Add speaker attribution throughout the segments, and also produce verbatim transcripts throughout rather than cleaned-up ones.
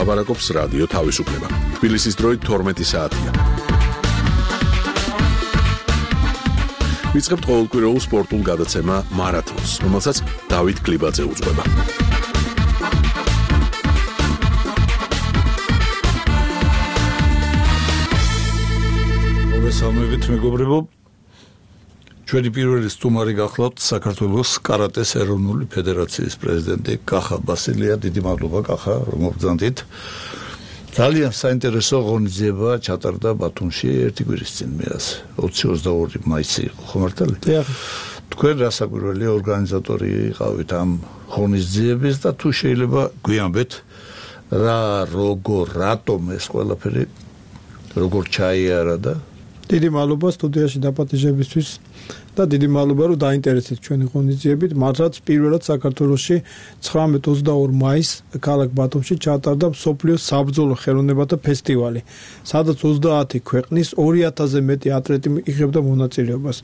Speaker 1: ლაპარაკობს რადიო თავისუფლება. თბილისის დროით თორმეტი საათია. ვიწყებთ ყოველკვირეულ სპორტულ გადაცემა მარათონს, რომელსაც დავით კლიბაძე უძღვება.
Speaker 2: მოგესალმებით მეგობრებო. ჩვენი პირველი სტუმარი გახლავთ საქართველოს კარატეს ეროვნული ფედერაციის პრეზიდენტი კახა ბასილია. დიდი მადლობა კახა, რომ მოგზავნით. ძალიან საინტერესო ღონისძიება ჩატარდა ბათუმში ერთი კვირის წინ მეას ოცი ოცდაორი მაისი იყო ხო მართალი? თქვენ რასაკვირველი ორგანიზატორი იყავით ამ ღონისძიების და თუ შეიძლება გვიამბეთ რა როგორ რატომ ეს ყველაფერი როგორ ჩაიარა და
Speaker 3: დიდი მადლობა სტუდიაში დაპატიჟებისთვის და დიდი მადლობა რომ დაინტერესეთ ჩვენი ღონისძიებით. მართლაც პირველად საქართველოში ცხრამეტ ოცდაორ მაისს ქალაქ ბათუმში ჩატარდა მსოფლიოს საბრძოლო ხელოვნებათა ფესტივალი, სადაც ოცდაათი ქვეყნის ორი ათასზე მეტი ატლეტი იღებდა მონაწილეობას.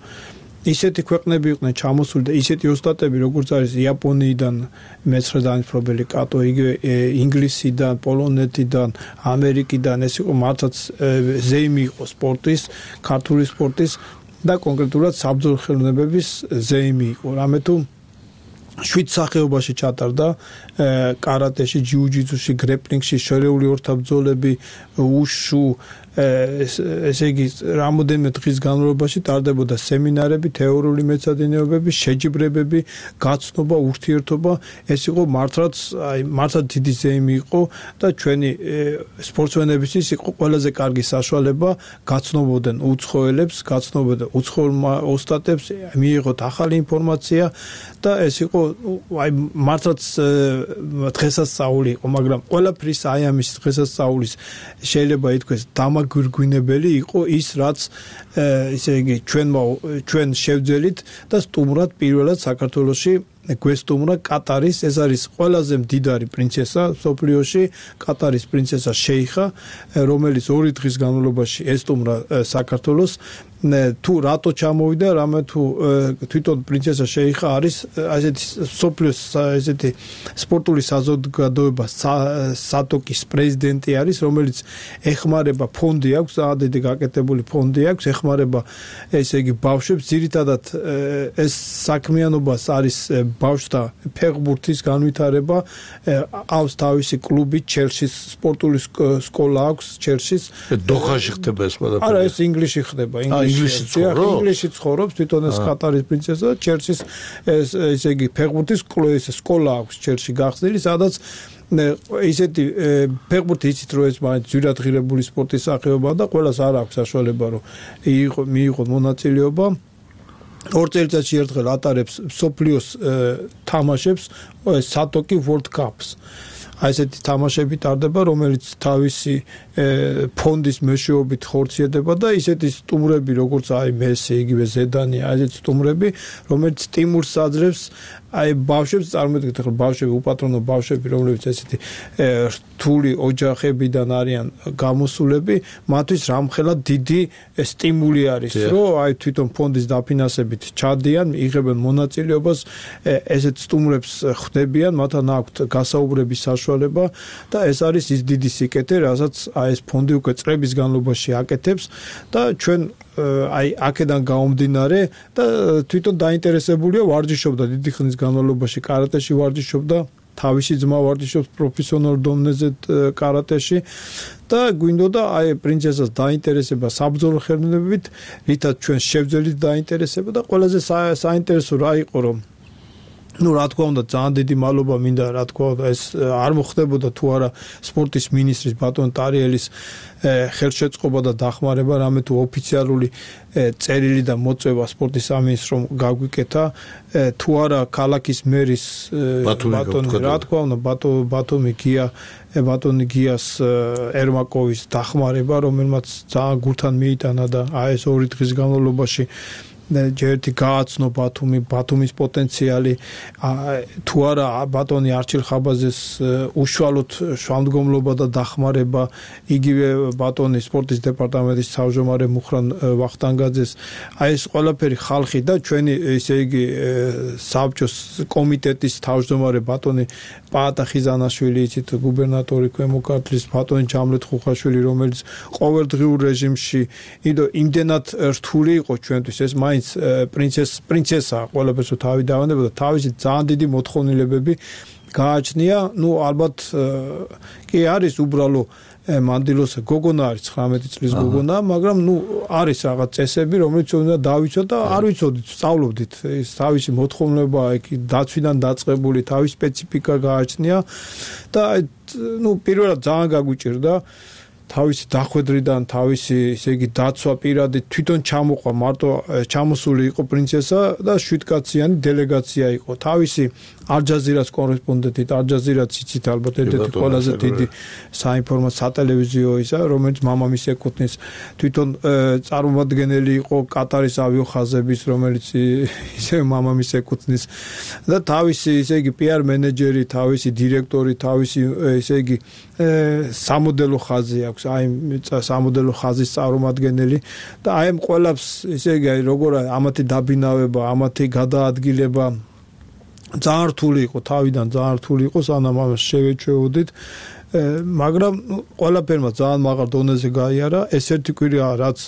Speaker 3: ისეთი ქვეყნები იყვნენ ჩამოსული და ისეთი ოსტატები, როგორც არის იაპონიიდან მეცხრე დაინფრობელი კატო, იგივე ინგლისიდან, პოლონეთიდან, ამერიკიდან, ეს იყო მართლაც ზეიმი იყო სპორტის, ქართული სპორტის და კონკრეტულად საბრძოლო ხელოვნებების ზეიმი იყო. რამე თუ შვიდ სახეობაში ჩატარდა კარატეში, ჯიუ-ჯიტსუში, გრეპლინგში, შერეული ორთაბრძოლები, უშუ, ესე იგი რამოდენიმე დღის განმავლობაში ტარდებოდა სემინარები, თეორიული მეცადინეობები, შეჯიბრებები, გაცნობა, ურთიერთობა. ეს იყო მართლაც, აი მართლაც დიდი ზეიმი იყო და ჩვენი სპორტსმენებისთვის იყო ყველაზე კარგი საშუალება გაცნობოდნენ უცხოელებს, გაცნობოდნენ უცხოელ ოსტატებს, მიიღოთ ახალი ინფორმაცია და ეს იყო აი მართლაც დღესასწაული იყო, მაგრამ ყველაფრის აი ამის დღესასწაულის შეიძლება ითქვეს დამაგვირგვინებელი იყო ის, რაც ესე იგი ჩვენმა ჩვენ შევძელით და სტუმრად პირველად საქართველოში გვესტუმრა კატარის, ეს არის ყველაზე მდიდარი პრინცესა სოფლიოში, კატარის პრინცესა შეიხა, რომელიც ორი დღის განმავლობაში ესტუმრა საქართველოს. თუ რატო ჩამოვიდა, რამე თუ თვითონ პრინცესა შეიხა არის ასეთი სოფლიოს ესეთი სპორტული საზოგადოება სატოკის პრეზიდენტი არის, რომელიც ეხმარება ფონდი აქვს, ძალიან გაკეთებული ფონდი აქვს, ეხმარება ესე იგი ბავშვებს, ძირითადად ეს საქმიანობას არის ბავშვთა ფეხბურთის განვითარება, აქვს თავისი კლუბი, ჩელსის სპორტული სკოლა აქვს ჩელსის.
Speaker 2: დოხაში ხდება ეს ყველაფერი?
Speaker 3: არა, ეს ინგლისში ხდება. ინგლისში ცხოვრობს თვითონ ეს კატარის პრინცესა, ჩელსის ესე იგი ფეხბურთის სკოლა აქვს ჩელსში გახსნილი, სადაც ისეთი ფეხბურთი იცით რომ ეს მაინც ძვირადღირებული სპორტის სახეობაა და ყველას არ აქვს საშუალება რომ მიიღოს მონაწილეობა. ორ წელიწადში ერთხელ ატარებს მსოფლიოს თამაშებს სატოკი World Cups. აი ესეთი თამაშები ტარდება, რომელიც თავისი ფონდის მეშვეობით ხორციელდება და ისეთი სტუმრები, როგორც აი მესი, იგივე ზედანი, აი ესეთი სტუმრები, რომელიც სტიმულს აძლევს აი ბავშვებს, წარმოიდგინეთ ახლა ბავშვები, უპატრონო ბავშვები, რომლებიც ესეთი რთული ოჯახებიდან არიან გამოსულები, მათთვის რამხელა დიდი სტიმული არის, რომ აი თვითონ ფონდის დაფინანსებით ჩადიან, იღებენ მონაწილეობას, ესეთ სტუმრებს ხვდებიან, მათთან აქვთ გასაუბრების საშუალება და ეს არის ის დიდი სიკეთე, რასაც აი ეს ფონდი უკვე წლების განმავლობაში აკეთებს და ჩვენ აი აქედან გამომდინარე და თვითონ დაინტერესებულია ვარჯიშობდა დიდი ხნის განმავლობაში კარატეში ვარჯიშობდა, თავისი ძმა ვარჯიშობს პროფესიონალ დონეზე კარატეში და გვინდოდა აი პრინცესას დაინტერესება საბრძოლო ხელოვნებებით, რითაც ჩვენ შევძელით დაინტერესება და ყველაზე საინტერესო რა იყო რომ ну რა თქმა უნდა ძალიან დიდი მადლობა მინდა რა თქმა უნდა ეს არ მოხდებოდა თუ არა სპორტის მინისტრის ბატონ ტარიელის ხელშეწყობა და დახმარება, რამე თუ ოფიციალური წერილი და მოწვევა სპორტის სამინისტრომ გაგვიკეთა, თუ არა ქალაქის მერის ბატონი რა თქმა უნდა ბატონი გია ბატონი გიას ერმაკოვის დახმარება, რომელმაც ძალიან გულთან მიიტანა და აი ეს ორი დღის განმავლობაში ჯერტი გააცნო ბათუმი, ბათუმის პოტენციალი თუ არა ბატონი არჩილ ხაბაძეს უშუალოდ შუამდგომლობა და დახმარება, იგივე ბატონი სპორტის დეპარტამენტის თავმჯდომარე მუხრან ვახტანგაძეს, აი ეს ყველაფერი ხალხი და ჩვენი ესე იგი საბჭოს კომიტეტის თავმჯდომარე ბატონი პაატა ხიზანაშვილი, იცით გუბერნატორი ქვემო ქართლის, ბატონი ჯამლეთ ხუხაშვილი, რომელიც ყოველდღიურ რეჟიმში იდო იმდენად რთული იყო ჩვენთვის ეს მაინც პრინცეს პრინცესა ყველაფერს თავი დავანებოდა, თავისი ძალიან დიდი მოთხოვნილებები გააჩნია, ну ალბათ კი არის უბრალო მანდილოსა გოგონა არის ცხრამეტი წლის გოგონა, მაგრამ ну არის რაღაც წესები, რომელიც უნდა დავიცოთ და არ ვიცოდით, სწავლობდით, ეს თავისი მოთხოვნილება იქ დაცვიდან დაწყებული, თავისი სპეციფიკა გააჩნია და ну პირველად ძალიან გაგვიჭირდა თავისი დახვედრიდან, თავისი ესე იგი დაცვა პირადი თვითონ ჩამოყვა, მარტო ჩამოსული იყო პრინცესა და შვიდკაციანი დელეგაცია იყო. თავისი ალ-ჯაზირას კორესპონდენტი, ალ-ჯაზირაც იცით ალბათ ერთ-ერთი ყველაზე დიდი საინფორმაციო სატელევიზიო ისა, რომელიც მამამის ეკუთვნის, თვითონ წარმომადგენელი იყო კატარის ავიახაზების, რომელიც ისე მამამის ეკუთვნის და თავისი ესე იგი პი არ მენეჯერი, თავისი დირექტორი, თავისი ესე იგი სამოდელო ხაზი აქვს, აი სამოდელო ხაზის წარმომადგენელი და აი ამ ყველაფერს ესე იგი როგორ ამათი დაბინავება, ამათი გადაადგილება ძალიან რთული იყო, თავიდან ძალიან რთული იყო, სანამ ამას შევეჩვეოდით, მაგრამ ყველაფერმა ძალიან მაღალ დონეზე გაიარა. ეს ერთი კვირა რაც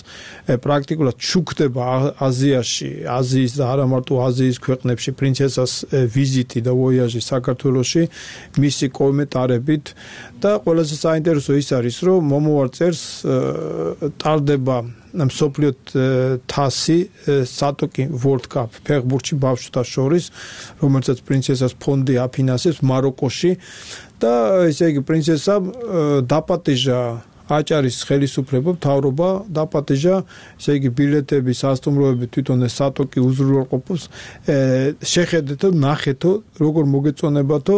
Speaker 3: პრაქტიკულად შუქდება აზიაში, აზიის და არა მარტო აზიის ქვეყნებში პრინცესას ვიზიტი და ვოიაჟი საქართველოში, მისი კომენტარებით და ყველაზე საინტერესო ის არის, რომ მომავალ წელს ტარდება მსოფლიო თასი სატოკი World Cup ფეხბურთში ბავშვთა შორის, რომელსაც პრინცესას ფონდი აფინანსებს მაროკოში და ესე იგი პრინცესამ დაპატიჟა აჭარის ხელისუფლება, მთავრობა დაპატიჟა, ესე იგი ბილეთები, სასტუმროები თვითონ ეს სატოკი უზრუნველყოფს, შეხედეთო, ნახეთო, როგორ მოგეწონებათო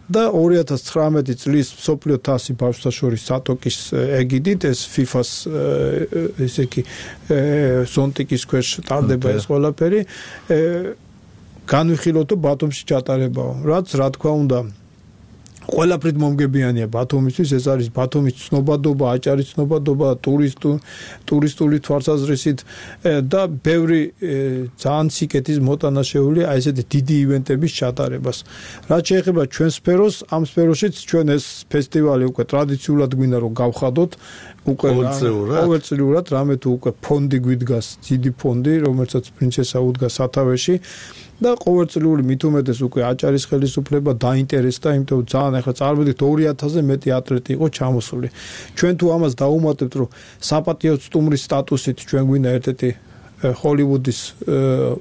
Speaker 3: და ორი ათას ცხრამეტი წლის მსოფლიო თასი ბავშვთა შორის სატოკის ეგიდით ეს ფიფას ესე იგი ზონტიკის ქვეშ ტარდება ეს ყველაფერი განვიხილოთ ბათუმში ჩატარებაო, რაც რა თქმა უნდა ყველაფრით მომგებიანია ბათუმისთვის, ეს არის ბათუმის ცნობადობა, აჭარის ცნობადობა, ტურისტული ტურისტული თვალსაზრისით და ბევრი ძალიან სიკეთის მოტანაშეული აი ესეთი დიდი ივენტების ჩატარებას. რაც შეეხება ჩვენ სფეროს, ამ სფეროშიც ჩვენ ეს ფესტივალი უკვე ტრადიციულად გვინდა რომ გავხადოთ, უკვე ყოველწლიურად რამე თუ უკვე ფონდი გვიდგას, დიდი ფონდი, რომელსაც პრინცესა უდგას სათავეში და ყოველწლიური მით უმეტეს უკვე აჭარის ხელისუფლება დაინტერესდა, იმიტომ ძალიან ახლა წარმოვიდგინეთ ორი ათასზე მეტი ატლეტი იყო ჩამოსული. ჩვენ თუ ამას დაუმატებთ, რომ საპატიო სტუმრის სტატუსით ჩვენ გვინდა ერთ-ერთი ჰოლივუდის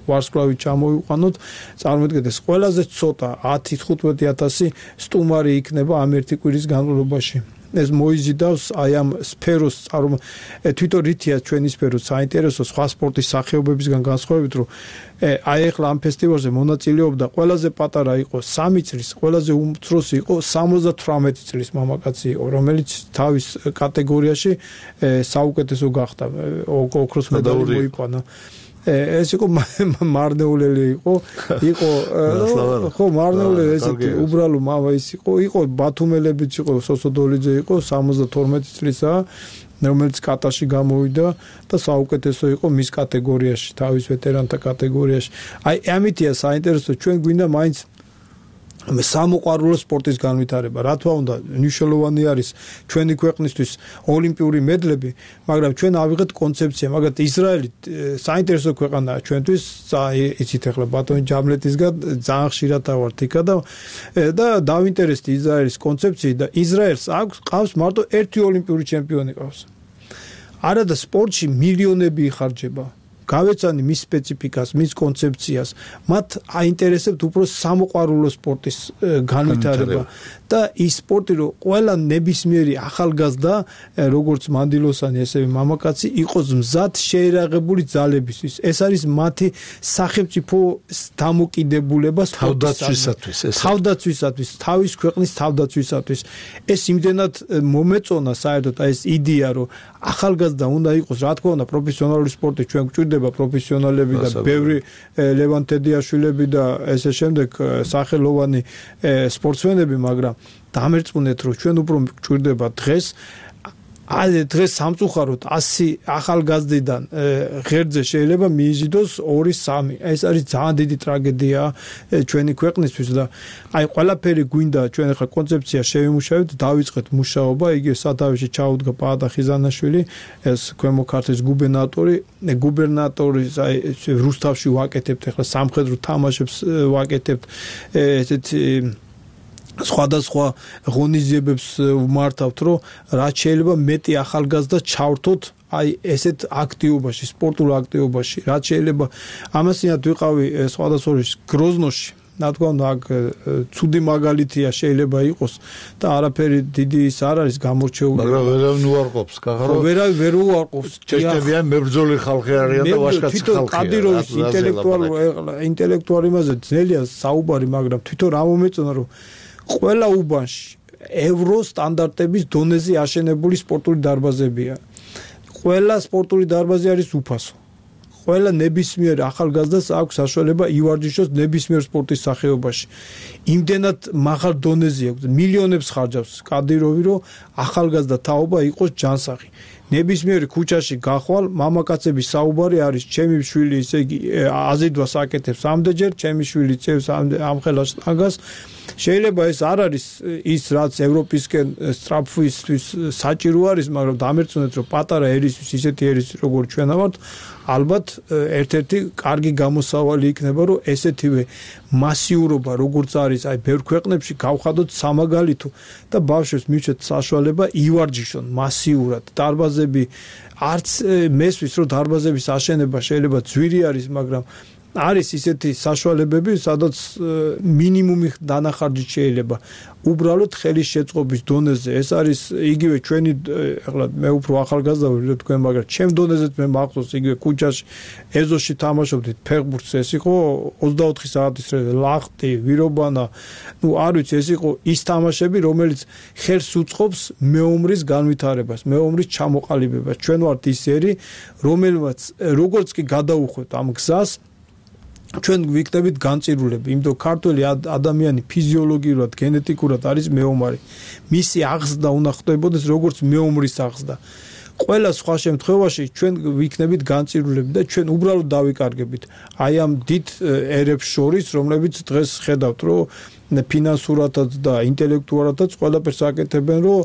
Speaker 3: ვარსკვლავი ჩამოვიყვანოთ, წარმოვიდგინეთ ეს ყველაზე ცოტა ათი თხუთმეტი ათასი სტუმარი იქნება ამ ერთი კვირის განმავლობაში. ეს მოიზიდავს აი ამ სფეროს წარმო თვითონ რითია ჩვენი სფერო საინტერესო სხვა სპორტის სახეობებისგან განსხვავებით, რომ აი ახლა ამ ფესტივალზე მონაწილეობდა ყველაზე პატარა იყო სამი წლის, ყველაზე უმცროსი იყო სამოცდათვრამეტი წლის მამაკაცი იყო, რომელიც თავის კატეგორიაში საუკეთესო გახდა, ოქროს მედალი მოიყვანა. ეს იყო მარნეულელი იყო, იყო ხო მარნეულელი ესეთი უბრალო მამა ის იყო, იყო ბათუმელებიც იყო, სოსოდოლიძე იყო სამოცდათორმეტი წლისა, რომელიც კატაში გამოვიდა და საუკეთესო იყო მის კატეგორიაში, თავის ვეტერანთა კატეგორიაში. აი ამიტია საინტერესო, ჩვენ გვინდა მაინც სამოყვარულო სპორტის განვითარება. რა თქმა უნდა, მნიშვნელოვანი არის ჩვენი ქვეყნისთვის ოლიმპიური მედლები, მაგრამ ჩვენ ავიღეთ კონცეფცია, მაგათ ისრაელი საინტერესო ქვეყანაა ჩვენთვის, იცით ახლა ბატონი ჯამლეტისგან ძალიან ხშირად ავართ იქა და და დავინტერესდი ისრაელის კონცეფციით და ისრაელს აქვს ყავს მარტო ერთი ოლიმპიური ჩემპიონი ყავს. არა და სპორტში მილიონები იხარჯება. გავეცანი მის სპეციფიკას, მის კონცეფციას, მათ აინტერესებთ უფრო სამოყვარულო სპორტის განვითარება და ის სპორტი რომ ყველა ნებისმიერი ახალგაზრდა როგორც მანდილოსანი ესევე მამაკაცი იყოს მზად შეერაღებული ძალებისთვის ეს არის მათი სახელმწიფო დამოკიდებულება
Speaker 2: თავდაცვისათვის ეს
Speaker 3: თავდაცვისათვის თავის ქვეყნის თავდაცვისათვის ეს იმდენად მომეწონა საერთოდ ეს იდეა რომ ახალგაზრდა უნდა იყოს რა თქმა უნდა პროფესიონალური სპორტი ჩვენ გვჭირდება პროფესიონალები და ბევრი ლევან თედიაშვილები და ესე შემდეგ სახელოვანი სპორტსმენები მაგრამ დამერწმუნეთ რომ ჩვენ უფრო გვჭირდება დღეს აი დღეს სამწუხაროდ ასი ახალგაზრდიდან ღერძზე შეიძლება მიიზიდოს ორი სამი ეს არის ძალიან დიდი ტრაგედია ჩვენი ქვეყნისთვის და აი ყველაფერი გვინდა ჩვენ ახლა კონცეფცია შევიმუშავებთ დავიწყეთ მუშაობა იგი სათავეში ჩაუდგა პაატა ხიზანაშვილი ეს ქვემო ქართლის გუბერნატორი გუბერნატორის აი რუსთავში ვაკეთებთ ახლა სამხედრო თამაშებს ვაკეთებთ ესეთი სხვადასხვა ღონისძიებებს ვმართავთ, რომ რაც შეიძლება მეტი ახალგაზრდა ჩავრთოთ აი ესეთ აქტივობაში, სპორტულ აქტივობაში, რაც შეიძლება ამასინათ ვიყავი სხვადასხვა გროზნოში რა თქმა უნდა აქ ცუდი მაგალითია შეიძლება იყოს და არაფერი დიდი ის არ არის გამორჩეული
Speaker 2: მაგრამ ვერავინ უარყოფს გახარო
Speaker 3: ვერავინ ვერ უარყოფს
Speaker 2: ჩეშტებიან მებრძოლი ხალხი არიან და ვაჟკაცი ხალხია
Speaker 3: კადიროვის ინტელექტუალურ ინტელექტუალი იმაზე ძნელია საუბარი მაგრამ თვითონ რა მომეწონა რომ ყველა უბანში ევრო სტანდარტების დონეზე აშენებული სპორტული დარბაზებია. ყველა სპორტული დარბაზი არის უფასო. ყველა ნებისმიერ ახალგაზრდას აქვს საშუალება ივარჯიშოს ნებისმიერ სპორტის სახეობაში. იმდენად მაღალ დონეზე აქვს მილიონებს ხარჯავს კადიროვი რომ ახალგაზრდა თაობა იყოს ჯანსაღი. ნებისმიერი ქუჩაში გახვალ მამაკაცების საუბარი არის ჩემი შვილი ისე იგი აზიდვას აკეთებს ამდენჯერ ჩემი შვილი წევს ამ ხელას ტანგას შეიძლება ეს არ არის ის რაც ევროპისკენ სტრაფვისთვის საჭირო არის მაგრამ დამერწმუნეთ რომ პატარა ერისთვის ისეთი ერის როგორც ჩვენა ვართ ალბათ ერთ-ერთი კარგი გამოსავალი იქნება რომ ესეთივე მასიურობა როგორც არის აი ბევრ ქვეყნებში გავხადოთ სამაგალითო და ბავშვებს მივცეთ საშუალება ივარჯიშონ მასიურად დარბაზები არც მესვის რომ დარბაზების აშენება შეიძლება ძვირი არის მაგრამ არის ისეთი საშუალებები სადაც მინიმუმი დანახარჯი შეიძლება უბრალოდ ხელის შეწყობის დონეზე ეს არის იგივე ჩვენი ახლა მე უფრო ახალგაზრდა ვარ თქვენ მაგრამ ჩემ დონეზეც მე მახსოვს იგივე ქუჩაში ეზოში თამაშობდით ფეხბურთს ეს იყო ოცდაოთხი საათის ლახტი ვირობანა ნუ არ ვიცი ეს იყო ის თამაშები რომელიც ხელს უწყობს მეომრის განვითარებას მეომრის ჩამოყალიბებას ჩვენ ვართ ის ერი რომელმაც როგორც კი გადაუხვევთ ამ გზას ჩვენ ვიქნებით განწირულები, იმიტომ ქართველი ადამიანი ფიზიოლოგიურად, გენეტიკურად არის მეომარი. მისი აღზრდა უნდა ხდებოდეს როგორც მეომრის აღზრდა. ყველა სხვა შემთხვევაში ჩვენ ვიქნებით განწირულები და ჩვენ უბრალოდ დავიკარგებით. აი ამ დიდ ერებს შორის, რომლებიც დღეს ხედავთ, რომ ფინანსურადაც და ინტელექტუალადაც ყველაფერს აკეთებენ, რომ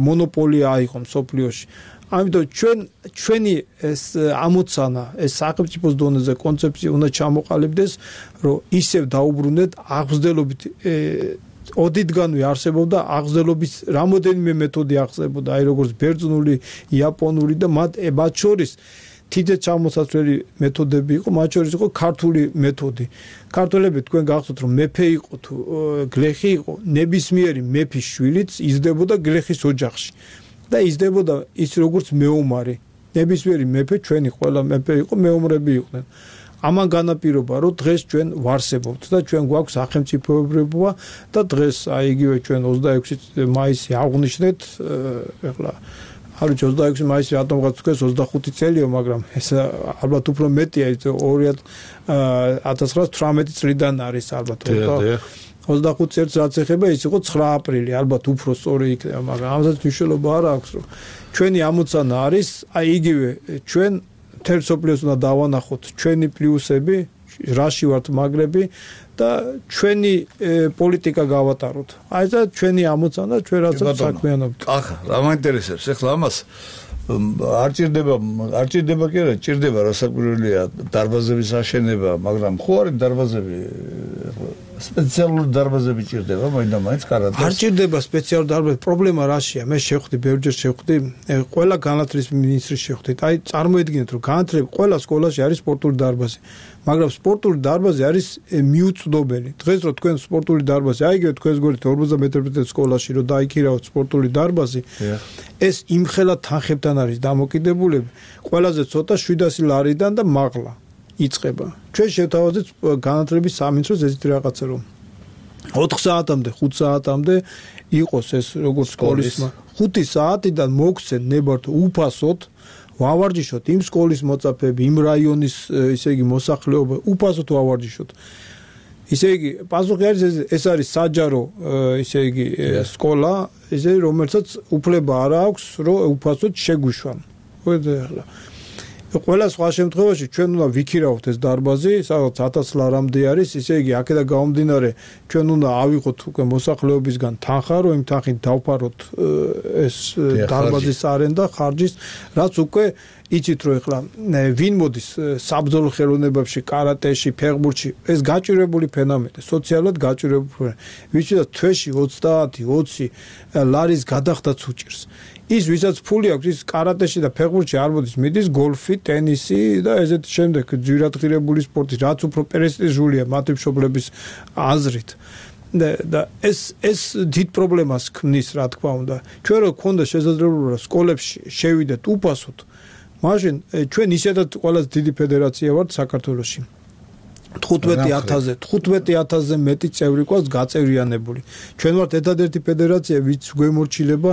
Speaker 3: მონოპოლია აიღონ სოფლიოში. ამიტომ ჩვენ ჩვენი ეს ამოცანა ეს სახელმწიფოს დონეზე კონცეფცია უნდა ჩამოყალიბდეს რომ ისევ დაუბრუნდეთ აღზრდელობით ოდითგანვე არსებობდა აღზრდელობის რამოდენიმე მეთოდი აღწევოდა აი როგორც ბერძნული იაპონური და მათ მათ შორის თითე ჩამოსაცვლელი მეთოდები იყო მათ შორის იყო ქართული მეთოდი ქართველები თქვენ გახსოვთ რომ მეფე იყო თუ გლეხი იყო ნებისმიერი მეფის შვილიც იზრდებოდა გლეხის ოჯახში და იზრდებოდა ის როგორც მეომარი ნებისმიერი მეფე ჩვენი ყველა მეფე იყო მეომრები იყვნენ ამან განაპირობა რომ დღეს ჩვენ ვარსებობთ და ჩვენ გვაქვს სახელმწიფოებრიობა და დღეს აი იგივე ჩვენ ოცდაექვსი მაისი აღვნიშნეთ ეხლა არ ვიცი ოცდაექვსი მაისი რატომღაც თქვენს ოცდახუთი წელიო მაგრამ ეს ალბათ უფრო მეტია ის ორი ათას ცხრაას თვრამეტი წლიდან არის ალბათ ოცდახუთი წელს რაც ეხება ის იყო ცხრა აპრილი ალბათ უფრო სწორი იქნება მაგრამ ამასაც მნიშვნელობა არ აქვს რომ ჩვენი ამოცანა არის აი იგივე ჩვენ მთელ სოფლიოს უნდა დავანახოთ ჩვენი პლუსები რაში ვართ მაგრები და ჩვენი პოლიტიკა გავატაროთ აი და ჩვენი ამოცანა ჩვენ რასაც საქმიანობთ
Speaker 2: ახლა რა მაინტერესებს ეხლა ამას არ ჭირდება არ ჭირდება კი არა ჭირდება რასაკვირველია დარბაზების აშენება მაგრამ ხო არის დარბაზები სპეციალური დარბაზები ჭირდება, მაინდა მაინც კარატეს.
Speaker 3: არ ჭირდება სპეციალური დარბაზი. პრობლემა რაშია? მე შევხვდი, ბევრჯერ შევხვდი, ყველა განათლების მინისტრის შევხვდით. აი, წარმოედგინეთ, რომ განათლება ყველა სკოლაში არის სპორტული დარბაზი. მაგრამ სპორტული დარბაზი არის მიუწვდომელი. დღეს რო თქვენ სპორტული დარბაზი, აიგეთ თქვენს გვერდით ორმოცდაათი მეტრზე სკოლაში რო დაიქირავთ სპორტული დარბაზი, ეს იმხელა თანხებთან არის დამოკიდებულები. ყველაზე ცოტა შვიდასი ლარიდან და მაღლა იწყება. ჩვენ შევთავაზეთ განათლების სამინისტროს ესეთი რაღაცა რომ ოთხ საათამდე, ხუთ საათამდე იყოს ეს როგორც სკოლის ხუთი საათიდან მოგცენ ნებართო უფასოდ ვავარჯიშოთ იმ სკოლის მოწაფეები, იმ რაიონის ისე იგი მოსახლეობა უფასოდ ვავარჯიშოთ. ისე იგი პასუხი არის ეს არის საჯარო ისე იგი სკოლა, ისე რომელსაც უფლება არ აქვს რომ უფასოდ შეგვიშვან. ხო ყველა სხვა შემთხვევაში ჩვენ უნდა ვიქირავთ ეს დარბაზი, სადაც ათას ლარამდე არის, ისე იგი აქედან გამომდინარე ჩვენ უნდა ავიღოთ უკვე მოსახლეობისგან თანხა, რომ იმ თანხით დავფაროთ ეს დარბაზის არენდა, ხარჯის, რაც უკვე იცით რომ ეხლა ვინ მოდის საბრძოლო ხელოვნებებში, კარატეში, ფეხბურთში, ეს გაჭირებული ფენომენია, სოციალურად გაჭირებული ფენომენია. ვისაც თვეში ოცდაათი ოცი ლარის გადახდაც უჭირს. ის ვისაც ფული აქვს, ის კარატეში და ფეხბურთში არ მოდის, მიდის გოლფი, ტენისი და ესეთ შემდეგ ძვირადღირებული სპორტი, რაც უფრო პრესტიჟულია მათი მშობლების აზრით. და და ეს ეს დიდ პრობლემას ქმნის, რა თქმა უნდა. ჩვენ რო გქონდა შესაძლებლობა სკოლებში შევიდეთ უფასოდ, მაშინ ჩვენ ისედაც ყველაზე დიდი ფედერაცია ვართ საქართველოში. თხუთმეტი ათასზე, თხუთმეტი ათასზე მეტი წევრი გვაქვს გაწევრიანებული. ჩვენ ვართ ერთადერთი ფედერაცია, ვინც გვემორჩილება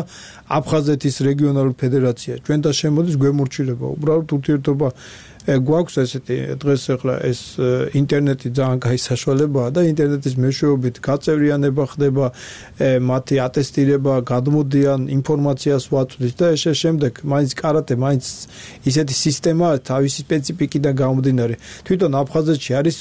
Speaker 3: აფხაზეთის რეგიონალური ფედერაცია. ჩვენთან შემოდის გვემორჩილება. უბრალოდ ურთიერთობა გვაქვს ესეთი დღეს ახლა ეს ინტერნეტი ძალიან კაი საშუალებაა და ინტერნეტის მეშვეობით გაწევრიანება ხდება, მათი ატესტირება, გადმოდიან, ინფორმაციას ვაწვდით და ეს შემდეგ მაინც კარატე, მაინც ისეთი სისტემაა თავისი სპეციფიკიდან გამომდინარე. თვითონ აფხაზეთში არის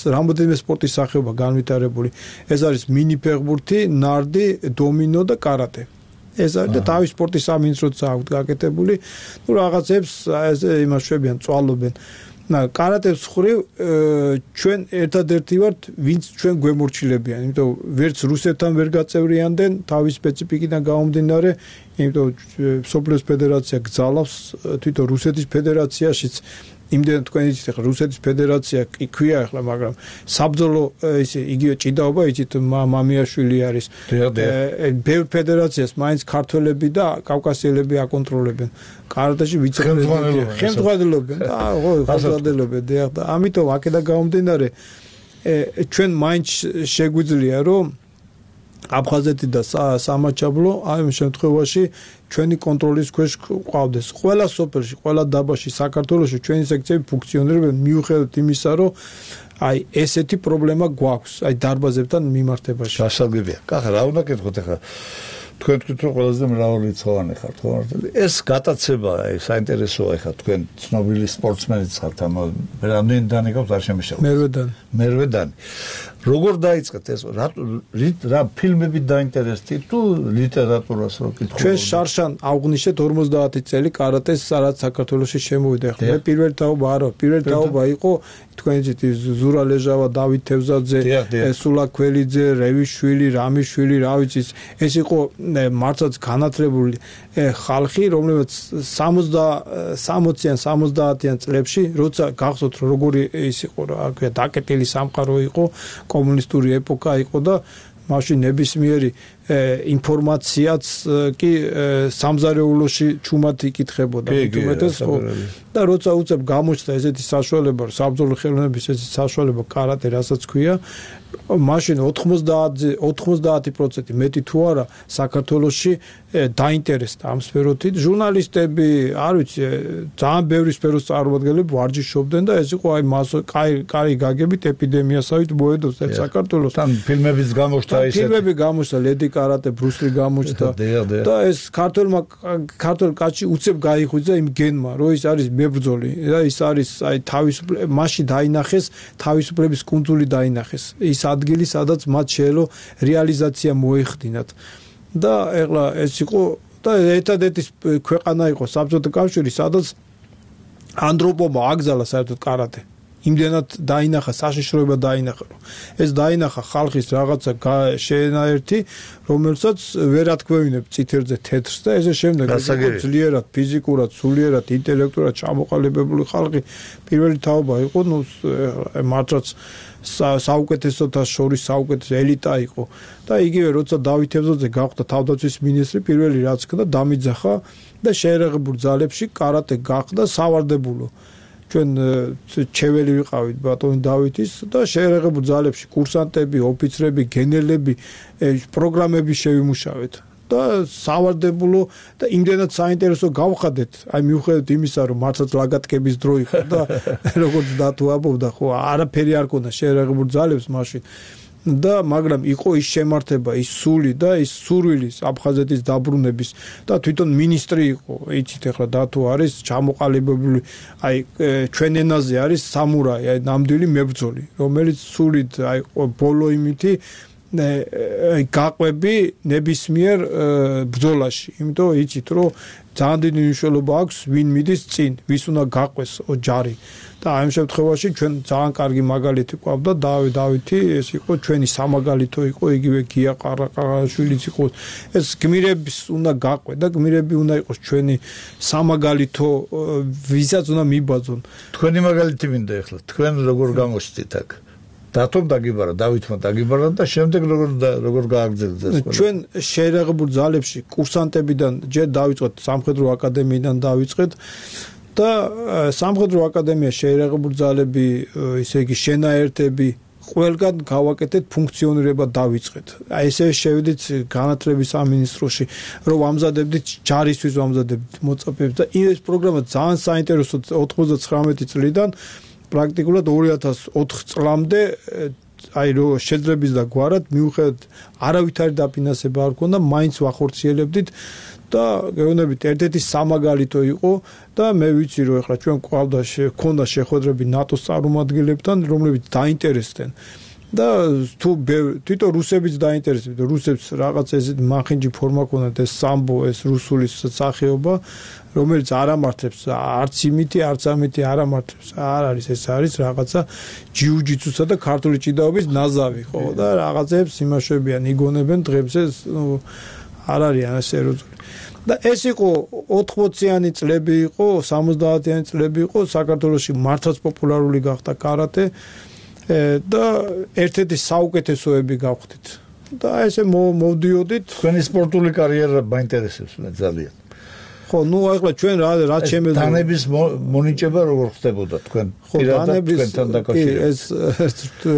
Speaker 3: რამოდენიმე სპორტის სახეობა განვითარებული. ეს არის მინი ფეხბურთი, ნარდი, დომინო და კარატე. ეს არის და თავის სპორტის სამინისტროც აქვს გაკეთებული. ნუ რაღაცებს იმას შვებიან, წვალობენ. კარატეს ხრივ ჩვენ ერთადერთი ვართ, ვინც ჩვენ გვემორჩილებიან, იმიტომ ვერც რუსეთთან ვერ გაწევრიანდნენ თავის სპეციფიკიდან გამომდინარე, იმიტომ სოფლის ფედერაცია გძალავს თვითონ რუსეთის ფედერაციაშიც იმდენ თქვენ იცით ახლა რუსეთის ფედერაცია იქვია ახლა, მაგრამ საბრძოლო ისე იგივე ჭიდაობა იცით მამიაშვილი არის. ბევრ ფედერაციას მაინც ქართველები და კავკასიელები აკონტროლებენ. კარატეში ვიცე-პრეზიდენტია, ხელმძღვანელობენ და ხო, ხელმძღვანელობენ და ამიტომ აქედან გამომდინარე ჩვენ მაინც შეგვიძლია რომ აფხაზეთი და სამაჩაბლო აი ამ შემთხვევაში ჩვენი კონტროლის ქვეშ ყავდეს. ყველა სოფელში, ყველა დაბაში საქართველოში ჩვენი სექციები ფუნქციონირებენ მიუხედავად იმისა, რომ აი ესეთი პრობლემა გვაქვს, აი დარბაზებთან მიმართებაში.
Speaker 2: გასაგებია. კახა, რა უნდა გითხოთ ახლა? თქვენ თქვით რომ ყველაზე მრავალრიცხოვანი ხართ, ხო? ეს გატაცება, აი საინტერესოა ახლა თქვენ ცნობილი სპორტსმენიც ხართ, ამ რამდენიდან იგავთ არ შემეშალოთ.
Speaker 3: მერვედან.
Speaker 2: მერვედან. როგორ დაიწყეთ ეს? რა რა ფილმებით დაინტერესდით თუ ლიტერატურას რო კითხულობთ?
Speaker 3: ჩვენ შარშან აღვნიშნეთ ორმოცდაათი წელი კარატეს სადაც საქართველოში შემოვიდა. ხო, მე პირველი თაობა არა, პირველი თაობა იყო თქვენ იცით ზურა ლეჟავა, დავით თევზაძე, სულა ქველიძე, რევიშვილი, რამიშვილი, რა ვიცი, ეს იყო მართლაც განათლებული ხალხი, რომლებიც სამოციან სამოცდაათიან წლებში, როცა გახსოვთ როგორი ის იყო, რა ქვია, დაკეტილი სამყარო იყო, კომუნისტური ეპოქა იყო და მაშინ ნებისმიერი ინფორმაციაც კი სამზარეულოში ჩუმად იკითხებოდა უმეტეს ხო და როცა უცებ გამოჩნდა ესეთი საშუალება საბრძოლო ხელოვნების ესეთი საშუალება კარატე რასაც ქვია მაშინ ოთხმოცდაათი პროცენტი მეტი თუ არა საქართველოში დაინტერესდა ამ სფეროთით ჟურნალისტები არ ვიცი ძალიან ბევრი სფეროს წარმომადგენლები ვარჯიშობდნენ და ეს იყო აი მასო კარი გაგებით ეპიდემიასავით მოედოს ერთ საქართველოს
Speaker 2: თან ფილმებიც გამოჩნდა ისეთი
Speaker 3: ფილმები გამოჩნდა ლედი კარატე ბრუსლი გამოჩნდა და ეს ქართველმა ქართულ კაცი უცებ გაიხვიძა იმ გენმა რომ ის არის მებრძოლი და ის არის აი თავისუფლება მასში დაინახეს თავისუფლების კუნძული დაინახეს ის ადგილი სადაც მათ შეელო რეალიზაცია მოეხდინათ და ეხლა ეს იყო და ერთადერთი ქვეყანა იყო საბჭოთა კავშირი სადაც ანდროპობა აგზალა საერთოდ კარატე იმდენად დაინახა საშიშროება დაინახა რომ ეს დაინახა ხალხის რაღაცა შეენაერთი რომელსაც ვერ ათქვევინებ წითელზე თეთრს და ესე შემდეგ ძლიერად ფიზიკურად სულიერად ინტელექტურად ჩამოყალიბებული ხალხი პირველი თაობა იყო ნუ მართლაც საუკეთესოთა შორის საუკეთესო ელიტა იყო და იგივე როცა დავით ევზოძე გახდა თავდაცვის მინისტრი პირველი რაც ხდა დამიძახა და შეერაღებულ ძალებში კარატე გახდა სავარდებულო ჩვენ ჩეველი ვიყავით ბატონი დავითის და შეერაღებულ ძალებში კურსანტები ოფიცრები გენერლები პროგრამები შევიმუშავეთ და სავარდებულო და იმდენად საინტერესო გავხადეთ აი მიუხედავად იმისა რომ მართლაც ლაგატკების დრო იყო და როგორც დათუაბობდა ხო არაფერი არ ქონდა შეერაღებულ ძალებს მაშინ და მაგრამ იყო ის შემართება ის სული და ის სურვილი აფხაზეთის დაბრუნების და თვითონ მინისტრი იყო იცით ახლა დათო არის ჩამოყალიბებული აი ჩვენ ენაზე არის სამურაი აი ნამდვილი მებრძოლი რომელიც სულით აი ბოლო იმითი აი გაყვები ნებისმიერ ბრძოლაში იმიტომ იცით რომ ძალიან დიდი მნიშვნელობა აქვს ვინ მიდის წინ ვის უნდა გაყვეს ჯარი და ამ შემთხვევაში ჩვენ ძალიან კარგი მაგალითი ყავდა დავით დავითი ეს იყო ჩვენი სამაგალითო იყო იგივე გია ყარაყაშვილიც იყო ეს გმირების უნდა გაყვე და გმირები უნდა იყოს ჩვენი სამაგალითო ვისაც უნდა მიბაძონ
Speaker 2: თქვენი მაგალითი მინდა ახლა თქვენ როგორ გამოსცით აქ დათომ დაგიბარა დავითმა დაგიბარა და შემდეგ როგორ როგორ გააგრძელეთ ეს ყველა
Speaker 3: ჩვენ შეერაღებულ ძალებში კურსანტებიდან ჯერ დავიწყეთ სამხედრო აკადემიიდან დავიწყეთ და სამხედრო აკადემია შეერაღებულ ძალები ისე იგი შენაერთები ყველგან გავაკეთეთ ფუნქციონირება დავიწყეთ აი ესე შევიდით განათლების სამინისტროში რომ ვამზადებდით ჯარისთვის ვამზადებდით მოწაფეებს და ეს პროგრამა ძალიან საინტერესო ოთხმოცდათხრამეტი წლიდან პრაქტიკულად ორი ათას ოთხ წლამდე აი რო შეძრების და გვარად მიუხედავად არავითარი დაფინანსება არ ქონდა მაინც ვახორციელებდით და გეუბნებით ერთ-ერთი სამაგალითო იყო და მე ვიცი რომ ახლა ჩვენ ყავდა ქონდა შეხვედრები ნატოს წარმომადგენლებთან რომლებიც დაინტერესდნენ და თუ თვითონ რუსებიც დაინტერესებდნენ რუსებს რაღაც ეს მახინჯი ფორმა ქონდათ ეს სამბო ეს რუსული სახეობა რომელიც არ ამართებს არც იმითი არც ამითი არ ამართებს არ არის ეს არის რაღაცა ჯიუჯიტსუსა და ქართული ჭიდაობის ნაზავი ხო და რაღაცებს იმაშებიან იგონებენ დღემდე ნუ არ არიან სერიოზული და ეს იყო ოთხმოციანი წლები იყო სამოცდაათიანი წლები იყო საქართველოში მართლაც პოპულარული გახდა კარატე და ერთ-ერთი საუკეთესოები გავხდით და ესე მოვდიოდით
Speaker 2: თქვენი სპორტული კარიერა მაინტერესებს მე ძალიან
Speaker 3: ხო ნუ ახლა ჩვენ რა რა ჩემეძო
Speaker 2: დანების მონიჭება როგორ ხდებოდა თქვენ პირადად თქვენთან დაკავშირებით
Speaker 3: ეს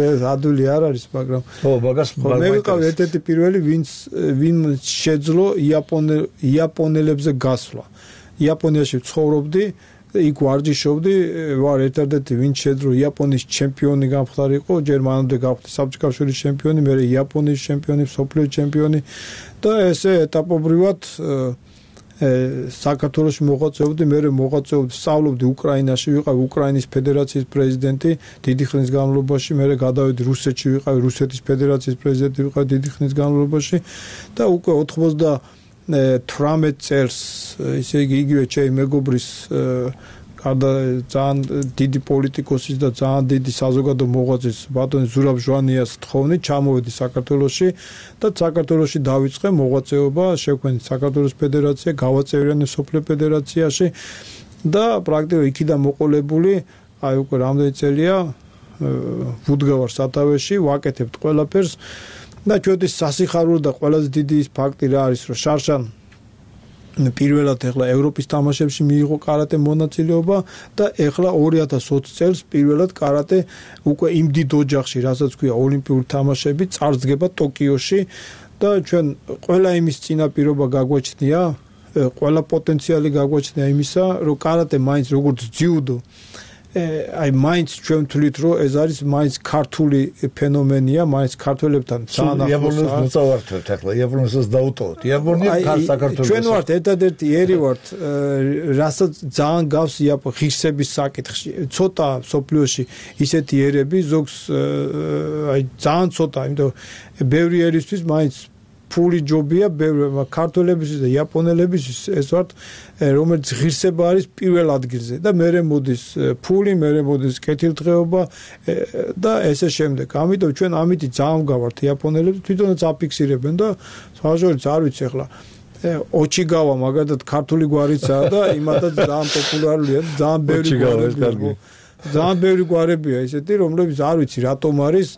Speaker 3: ეს ადვილი არ არის მაგრამ
Speaker 2: ხო მაგას
Speaker 3: მე ვიყავ ერთ-ერთი პირველი ვინც ვინ შეძლო იაპონელ იაპონელებზე გასვლა იაპონიაში ცხოვრობდი იქ ვარჯიშობდი ვარ ერთ-ერთი ვინც შეძლო იაპონიის ჩემპიონი გამხდარიყო ჯერ მანამდე გავხდი საბჭოთა კავშირის ჩემპიონი მე იაპონიის ჩემპიონი სოფლიოს ჩემპიონი და ესე ეტაპობრივად საქართველოში მოღვაწეობდი, მე მოღვაწეობდი, სწავლობდი უკრაინაში, ვიყავი უკრაინის ფედერაციის პრეზიდენტი დიდი ხნის განმავლობაში, მე გადავედი რუსეთში, ვიყავი რუსეთის ფედერაციის პრეზიდენტი, ვიყავი დიდი ხნის განმავლობაში და უკვე ოცდაათი წელს, ისე იგი იგივე ჩემი მეგობრის გარდა ძალიან დიდი პოლიტიკოსის და ძალიან დიდი საზოგადო მოღვაწის ბატონი ზურაბ ჟვანიას თხოვნი ჩამოვედი საქართველოში და საქართველოში დავიწყე მოღვაწეობა, შევქმნით საქართველოს ფედერაცია, გავაწევრიანე სოფლიო ფედერაციაში და პრაქტიკულად იქიდან მოყოლებული, აი უკვე რამდენი წელია ვუდგავარ სათავეში, ვაკეთებთ ყველაფერს და ჩვენთვის სასიხარულო და ყველაზე დიდი ის ფაქტი რა არის, რომ შარშან პირველად ეხლა ევროპის თამაშებში მიიღო კარატე მონაწილეობა და ეხლა ორი ათას ოცი წელს პირველად კარატე უკვე იმ დიდ ოჯახში, რასაც ქვია ოლიმპიური თამაშები, წარსდგება ტოკიოში და ჩვენ ყველა იმის წინაპირობა გაგვაჩნია, ყველა პოტენციალი გაგვაჩნია იმისა, რომ კარატე მაინც როგორც ძიუდო აი მაინც ჩვენ ვთვლით რომ ეს არის მაინც ქართული ფენომენია, მაინც ქართველებთან ძალიან ახლოს.
Speaker 2: იაპონიას მოწავართვებთ ახლა, იაპონიასაც დაუტოვოთ. იაპონია საქართველოს.
Speaker 3: ჩვენ ვართ ერთადერთი ერი ვართ, რასაც ძალიან გავს იაპონი ღირსების საკითხში. ცოტა სოფლიოში ისეთი ერები ზოგს აი ძალიან ცოტა, იმიტომ ბევრი ერისთვის მაინც ფული ჯობია ბევრი ქართველებისთვის და იაპონელებისთვის ეს ვართ რომელიც ღირსება არის პირველ ადგილზე და მერე მოდის ფული, მერე მოდის კეთილდღეობა და ესე შემდეგ. ამიტომ ჩვენ ამით ძალიან გავართ იაპონელებს თვითონაც აფიქსირებენ და სხვაშორის არ ვიცი ახლა ოჩიგავა მაგალითად ქართული გვარიცაა და იმათაც ძალიან პოპულარულია და ძალიან ბევრი გვარებია. ძალიან ბევრი გვარებია ესეთი რომლებიც არ ვიცი რატომ არის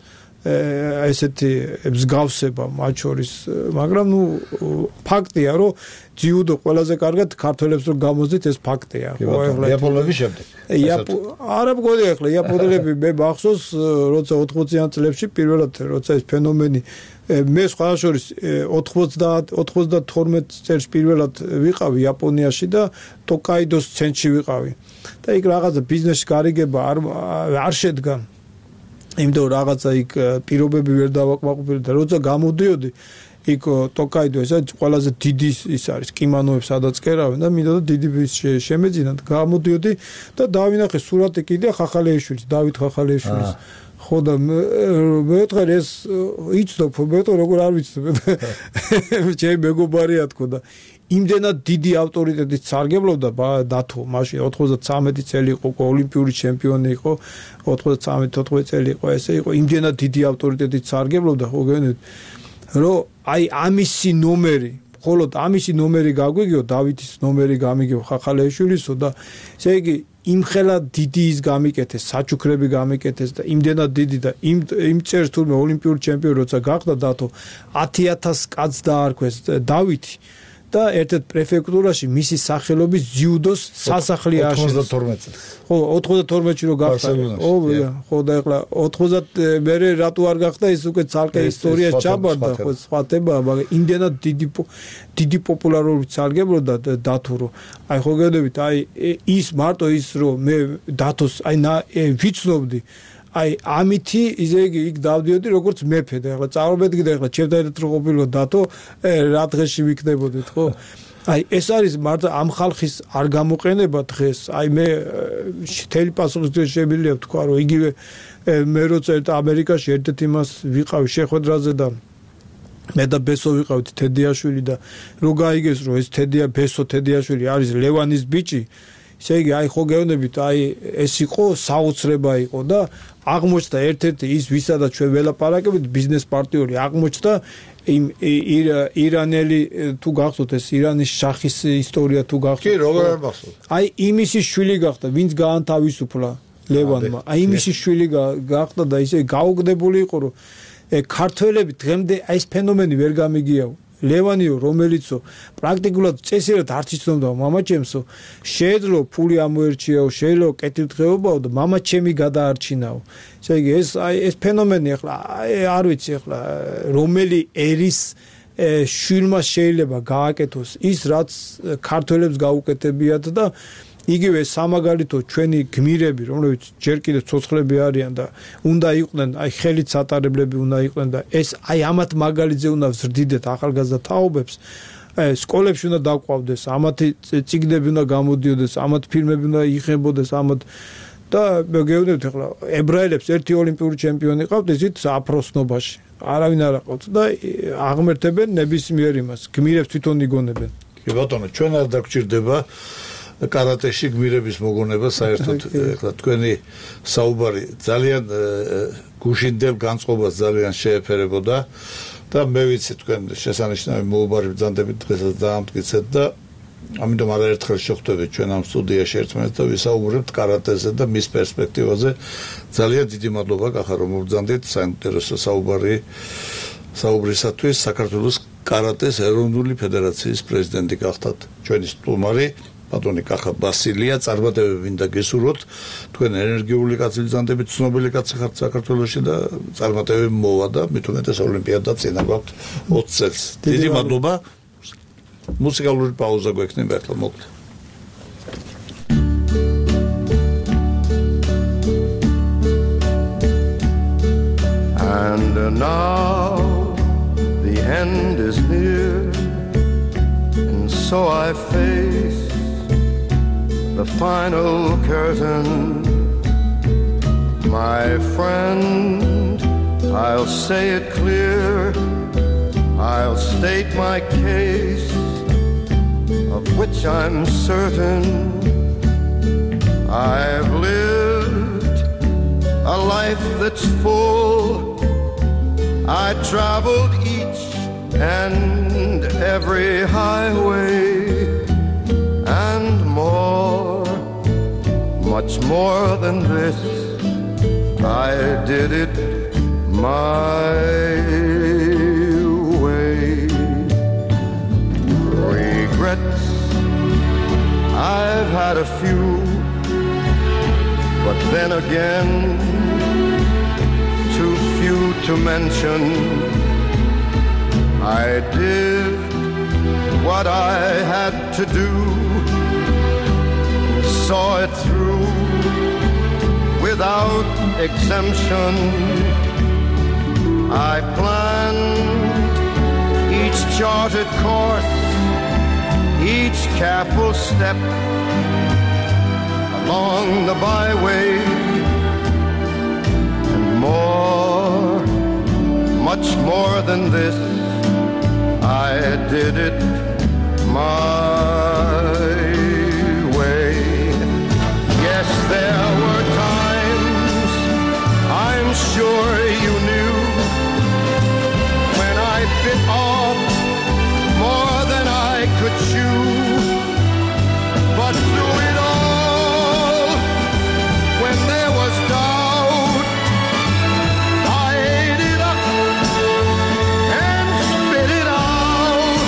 Speaker 3: ესეთი მსგავსება მათ შორის, მაგრამ ნუ ფაქტია რომ ჯიუდო ყველაზე კარგად ქართველებს რო გამოძით ეს ფაქტია.
Speaker 2: ხო ახლა იაპონელების შემდეგ.
Speaker 3: არა მგონი ახლა იაპონელები მე მახსოვს როცა ოთხმოციან წლებში პირველად როცა ეს ფენომენი მე სხვა შორის ოცდათორმეტ წელს პირველად ვიყავი იაპონიაში და ტოკაიდოს ცენტრში ვიყავი. და იქ რაღაცა ბიზნესის გარიგება არ არ შედგა. იმიტომ რაღაცა იქ პირობები ვერ დავაკმაყოფილე და როცა გამოდიოდი იქ ტოკაიდო ეს არის ყველაზე დიდი ის არის კიმანოებს სადაც კერავენ და მინდოდა დიდი შემეძინა და გამოდიოდი და დავინახე სურათი კიდე ხახალეიშვილის დავით ხახალეიშვილის ხო და მეოთხე ეს იცნობ მეოთხე როგორ არ ვიცნობ ჩემი მეგობარია თქო და იმდენად დიდი ავტორიტეტით სარგებლობდა დათო მაშინ ოთხმოცდათრამეტი წელი იყო ოლიმპიური ჩემპიონი იყო ოთხმოცდათრამეტი თოთხმეტი წელი იყო ესე იყო იმდენად დიდი ავტორიტეტით სარგებლობდა ხო გენეთ რომ აი ამისი ნომერი მხოლოდ ამისი ნომერი გაგვიგიო დავითის ნომერი გამიგიო ხახალეიშვილისო და ესე იგი იმხელა დიდი ის გამიკეთეს საჩუქრები გამიკეთეს და იმდენად დიდი და იმ იმ წერს თურმე ოლიმპიური ჩემპიონი როცა გახდა დათო ათი ათასი კაცს დაარქვეს დავითი და ერთ-ერთ პრეფექტურაში მისი სახელობის ჯიუდოს სასახლე ააშენეს.
Speaker 2: ოცდათორმეტი წელს.
Speaker 3: ხო, ოცდათორმეტში რო გახდა. ხო, ხო და ეხლა ოცდაათი მერე რატო არ გახდა ის უკვე ცალკე ისტორიაში ჩაბარდა, ხო, სხვა თემა, მაგრამ იმდენად დიდი დიდი პოპულარობით სარგებლობდა დათო. აი ხო გედებით, აი ის მარტო ის რომ მე დათოს აი ვიცნობდი აი ამითი ისე იგი იქ დავდიოდი როგორც მეფე და ახლა წარმოვიდგინე ახლა ჩემთან რო ყოფილიყო დათო რა დღეში ვიქნებოდით ხო აი ეს არის მარტო ამ ხალხის არ გამოყენება დღეს აი მე მთელი პასუხისმგებელი შემიძლია ვთქვა რომ იგივე მე როცა ამერიკაში ერთ-ერთ იმას ვიყავი შეხვედრაზე და მე და ბესო ვიყავით თედიაშვილი და რო გაიგეს რომ ეს თედია ბესო თედიაშვილი არის ლევანის ბიჭი ესე იგი აი ხო გეუბნებით აი ეს იყო საოცრება იყო და აღმოჩნდა ერთ-ერთი ის ვისაც ჩვენ ველაპარაკებით ბიზნეს პარტნიორი აღმოჩნდა იმ ირანელი თუ გახსოვთ ეს ირანის შახის ისტორია თუ გახსოვთ
Speaker 2: კი როგორ არ მახსოვს
Speaker 3: აი იმისი შვილი გახდა ვინც გაანთავისუფლა ლევანმა აი იმისი შვილი გახდა და ისე გაუგდებული იყო რომ ქართველები დღემდე აი ეს ფენომენი ვერ გამიგიაო ლევანიო რომელიცო პრაქტიკულად წესიერად არც იცნობდა მამაჩემსო შეეძლო ფული ამოერჩიაო შეეძლო კეთილდღეობაო და მამაჩემი გადაარჩინაო ესე იგი ეს აი ეს ფენომენი ახლა არ ვიცი ახლა რომელი ერის შვილმა შეიძლება გააკეთოს ის რაც ქართველებს გაუკეთებიათ და იგივე სამაგალითო ჩვენი გმირები რომლებიც ჯერ კიდევ ცოცხლები არიან და უნდა იყვნენ აი ხელით სატარებლები უნდა იყვნენ და ეს აი ამათ მაგალითზე უნდა ვზრდიდეთ ახალგაზრდა თაობებს სკოლებში უნდა დაყვავდეს ამათი წიგნები უნდა გამოდიოდეს ამათ ფილმები უნდა იხებოდეს ამათ და გეუბნებით ახლა ებრაელებს ერთი ოლიმპიური ჩემპიონი ყავთ ისიც აფროსნობაში არავინ არ აყავთ და აღმერთებენ ნებისმიერ იმას გმირებს თვითონ იგონებენ
Speaker 2: კი ბატონო ჩვენ არ დაგჭირდება კარატეში გმირების მოგონება საერთოდ ეხლა თქვენი საუბარი ძალიან გუშინდელ განწყობას ძალიან შეეფერებოდა და მე ვიცი თქვენ შესანიშნავი მოუბარი ბრძანდებით დღესაც დაამტკიცეთ და ამიტომ არაერთხელ შეხვდებით ჩვენ ამ სტუდიაში ერთმანეთს და ვისაუბრებთ კარატეზე და მის პერსპექტივაზე ძალიან დიდი მადლობა კახა რომ მობრძანდით საინტერესო საუბარი საუბრისათვის საქართველოს კარატეს ეროვნული ფედერაციის პრეზიდენტი გახდათ ჩვენი სტუმარი ბატონი კახა ბასილია წარმატებები მინდა გესურვოთ თქვენ ენერგიული კაცი ბრძანდებით ცნობილი კაცი ხართ საქართველოში და წარმატებები მოვა და მით უმეტეს ოლიმპიადა წინა გვაქვს ოცი წელს დიდი მადლობა მუსიკალური პაუზა გვექნება ახლა მოკლედ
Speaker 4: And now the end is near and so I face the final curtain my friend I'll say it clear I'll state my case, of which I'm certain. I've lived a life that's full. I traveled each and every highway and more, much more than this. I did it my way. Regrets, I've had a few, but then again, too few to mention. I did what I had to do, saw it through without exemption. I planned each charted course, each careful step along the byway, and more, much more than this, I did it my way. Yes, there were times, I'm sure you knew, when I bit off more than I could chew. But through it all, when there was doubt, I ate it up and spit it out.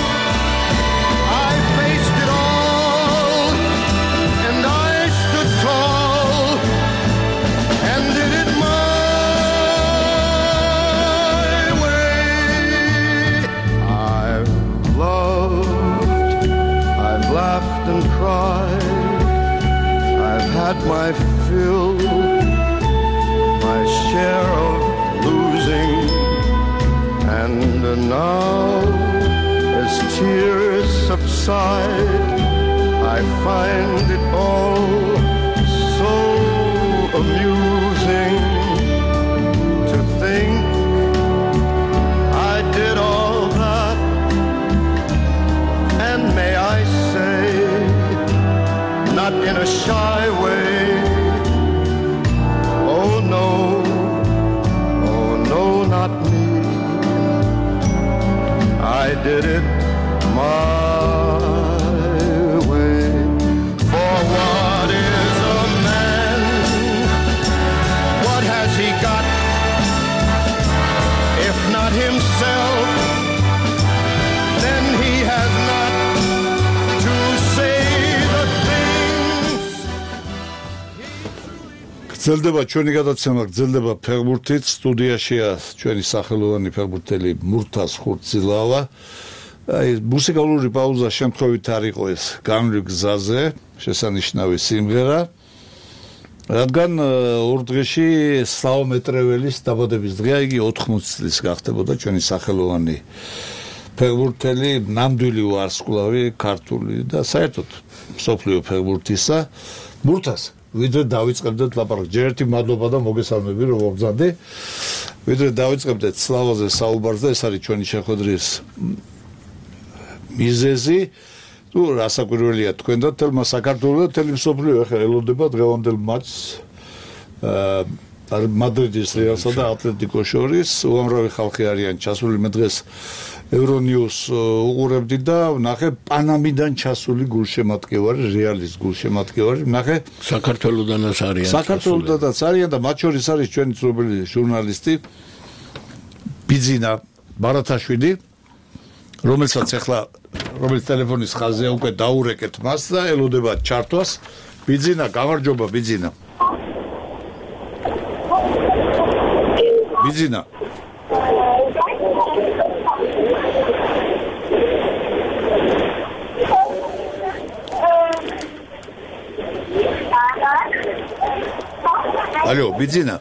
Speaker 4: I faced it all, and I stood tall and did it my way. I've loved, I've laughed and cried, I've had my fill, my share of losing, and now as tears subside, I find it all so amusing to think I did all that, and may I say, not in a shy way. Oh no, oh no, not me. I did it my way. For what is a man? What has he got? If not himself, then he has not to say the things.
Speaker 2: გრძელდება ჩვენი გადაცემა, გრძელდება ფეხბურთით. სტუდიაშია ჩვენი სახელოვანი ფეხბურთელი მურთაზ ხურცილავა. აი, მუსიკალური პაუზა შემთხვევით არ იყო ეს განვლილ გზაზე, შესანიშნავი სიმღერა. რადგან ორ დღეში სლავო მეტრეველის დაბადების დღეა, იგი ოთხმოცი წლის გახდებოდა ჩვენი სახელოვანი ფეხბურთელი, ნამდვილი ვარსკვლავი ქართული და საერთოდ მსოფლიო ფეხბურთისა. მურთაზ, ვიდრე დავიწყებდეთ ლაპარაკს, ჯერ ერთი მადლობა და მოგესალმები, რომ მოგბრძანდი. ვიდრე დავიწყებდეთ სლავაზე საუბარს და ეს არის ჩვენი შეხვედრის მიზეზი. თუ რასაკვირველია თქვენ და თელმა საქართველოს და თელი მსოფლიო ახლა ელოდება დღევანდელ მატჩს აა მადრიდის რეალსა და ატლეტიკოს შორის. უამრავი ხალხი არიან ჩასული. მე დღეს ევრონიუს უყურებდი და ვნახე პანამიდან ჩასული გულშემატკივარი, რეალის გულშემატკივარი. ვნახე
Speaker 5: საქართველოდანაც არიან.
Speaker 2: საქართველოდანაც არიან და მათ შორის არის ჩვენი ცნობილი ჟურნალისტი ბიძინა ბარათაშვილი, რომელსაც ახლა რომელიც ტელეფონის ხაზია, უკვე დაურეკეთ მას და ელოდება ჩართვას. ბიძინა, გამარჯობა ბიძინა. ბიძინა. ალო, ბიძინა.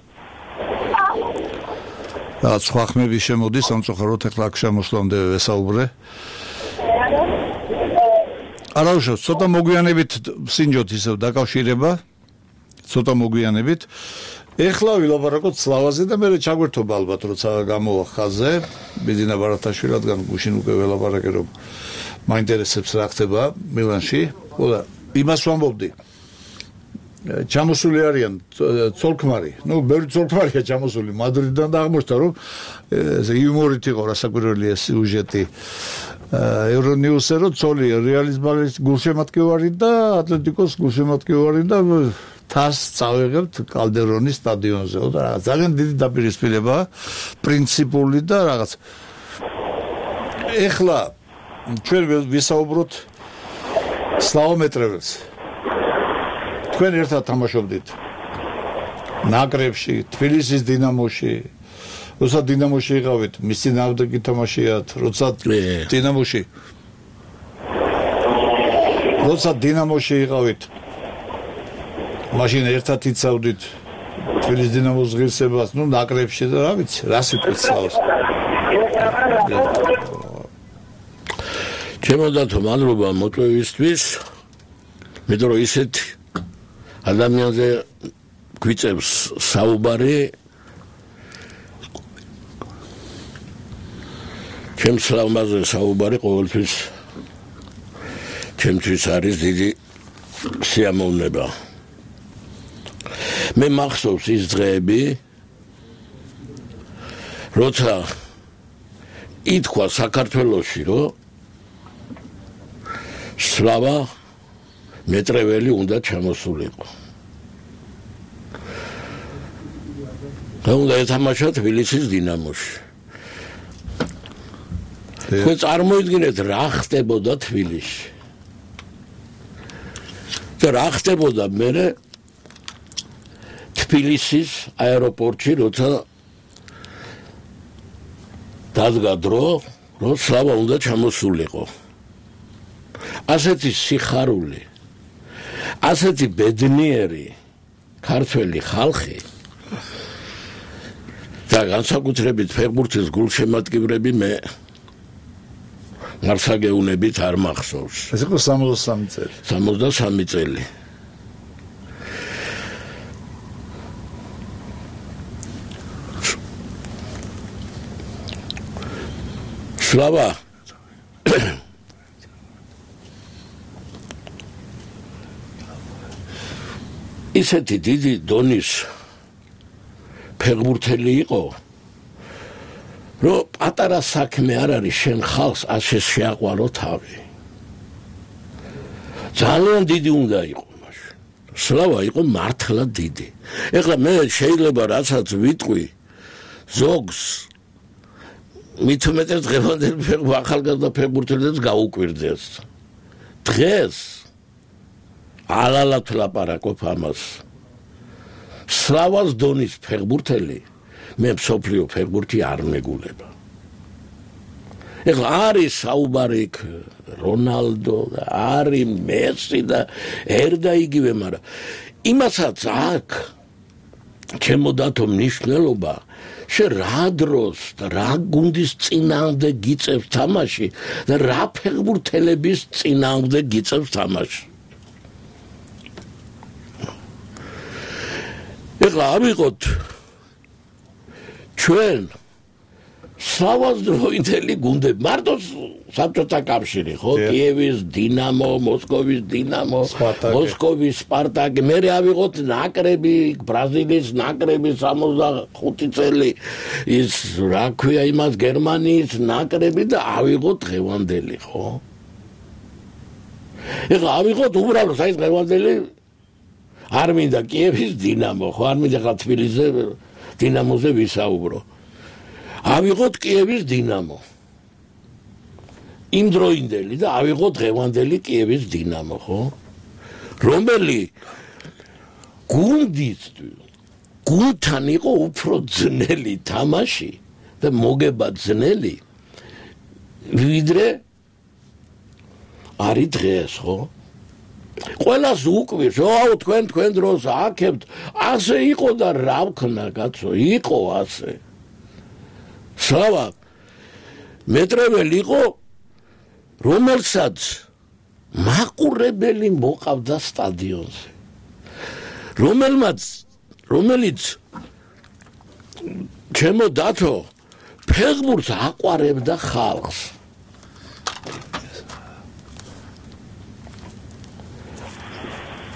Speaker 2: და სხვა ხმები შემოდის, სამწუხაროდ ახლა აქ შემოსვლამდე ვესაუბრე. არა უშო, ცოტა მოგვიანებით სინჯოთ ისევ დაკავშირება. ცოტა მოგვიანებით. ეხლა ვილაპარაკოთ სლავაზე და მე ჩაგვერთობა ალბათ როცა გამოვა ხაზზე ბიძინა ბარათაშვილი რადგან გუშინ უკვე ველაპარაკე რომ მაინტერესებს რა ხდება მილანში. ხოლო იმას ვამბობდი ჩამოსული არიან ცოლქმარი, ну, ბევრი ცოლქმარია ჩამოსული მადრიდიდან და აღმოჩნდა რომ ესე იუმორით იყო რასაკვირველია სიუჟეტი ევრონიუსზე რომ ცოლი რეალის ბალის გულშემატკივარი და ატლეტიკოს გულშემატკივარი და თას წავიღებთ კალდერონის სტადიონზე და რაღაც ძალიან დიდი დაპირისპირება პრინციპული და რაღაც ეხლა ჩვენ ვისაუბროთ სლავომეტრებს თქვენ ერთად თამაშობდით ნაკრებში თბილისის დინამოში როცა დინამოში იყავით მისი ნავდა გითამაშიათ როცა დინამოში როცა დინამოში იყავით მაშინ ერთად იცავდით თბილისის დინამოს ღირსებას ნუ ნაკრებში და რა ვიცი რა სიტყვით სლავს
Speaker 5: ჩემო დათო მადლობა მოწვევისთვის მეტყვი რომ ისეთ ადამიანზე გვიწევს საუბარი ჩემს ლამაზზე საუბარი ყოველთვის ჩემთვის არის დიდი სიამოვნება მე მახსოვს ის დღეები როცა ითქვა საქართველოში რომ სლავა მეტრეველი უნდა ჩამოსულიყო. და უნდა ეთამაშა თბილისის დინამოში. თქვენ წარმოიდგინეთ რა ხდებოდა თბილისში. და რა ხდებოდა მერე თბილისის აეროპორტში როცა დადგა დრო რომ სლავა უნდა ჩამოსულიყო. ასეთი სიხარული ასეთი ბედნიერი ქართველი ხალხი და განსაკუთრებით ფეხბურთის გულშემატკივრები მე მარსაგეუნებით არ მახსოვს.
Speaker 2: ეს იყო სამოცდასამი წელი.
Speaker 5: სამოცდასამი წელი. სლავა ისეთი დიდი დონის ფეხბურთელი იყო რომ პატარა საქმე არ არის შენ ხალხს ასე შეაყვარო თავი ძალიან დიდი უნდა იყო მაშინ სლავა იყო მართლა დიდი ეხლა მე შეიძლება რასაც ვიტყვი ზოგს მით უმეტეს დღევანდელ ახალგაზრდა ფეხბურთელებს გაუკვირდეს დღეს ალალათ ლაპარაკობ ამას სლავას დონის ფეხბურთელი მე მსოფლიო ფეხბურთი არ მეგულება ეხლა არის საუბარი რონალდო და არის მესი და ერდა იგივე მაგრამ იმასაც აქვს ჩემო დათო მნიშვნელობა შე რა დროს და რა გუნდის წინააღმდეგ გიწევს თამაში და რა ფეხბურთელების წინააღმდეგ გიწევს თამაში ეხლა ავიღოთ ჩვენ სლავას დროინდელი გუნდები მარტო საბჭოთა კავშირი ხო კიევის დინამო მოსკოვის დინამო მოსკოვის სპარტაკი მე ავიღოთ ნაკრები ბრაზილიის ნაკრები სამოცდახუთი წელი ის რა ქვია იმას გერმანიის ნაკრები და ავიღოთ დღევანდელი ხო ეხლა ავიღოთ უბრალოდ აი დღევანდელი არ მინდა კიევის დინამო ხო არ მინდა ხა თბილისზე დინამოზე ვისაუბრო ავიღოთ კიევის დინამო იმ დროინდელი და ავიღოთ დღევანდელი კიევის დინამო ხო რომელი გუნდის გუნდთან იყო უფრო ძნელი თამაში და მოგება ძნელი ვიდრე არის დღეს ხო ყველას უკვირს აუ თქვენ თქვენ დროს აქებთ ასე იყო და რა ვქნა კაცო იყო ასე სლავა მეტრეველი იყო რომელსაც მაყურებელი მოყავდა სტადიონზე რომელმაც რომელიც ჩემო დათო ფეხბურთს აყვარებდა ხალხს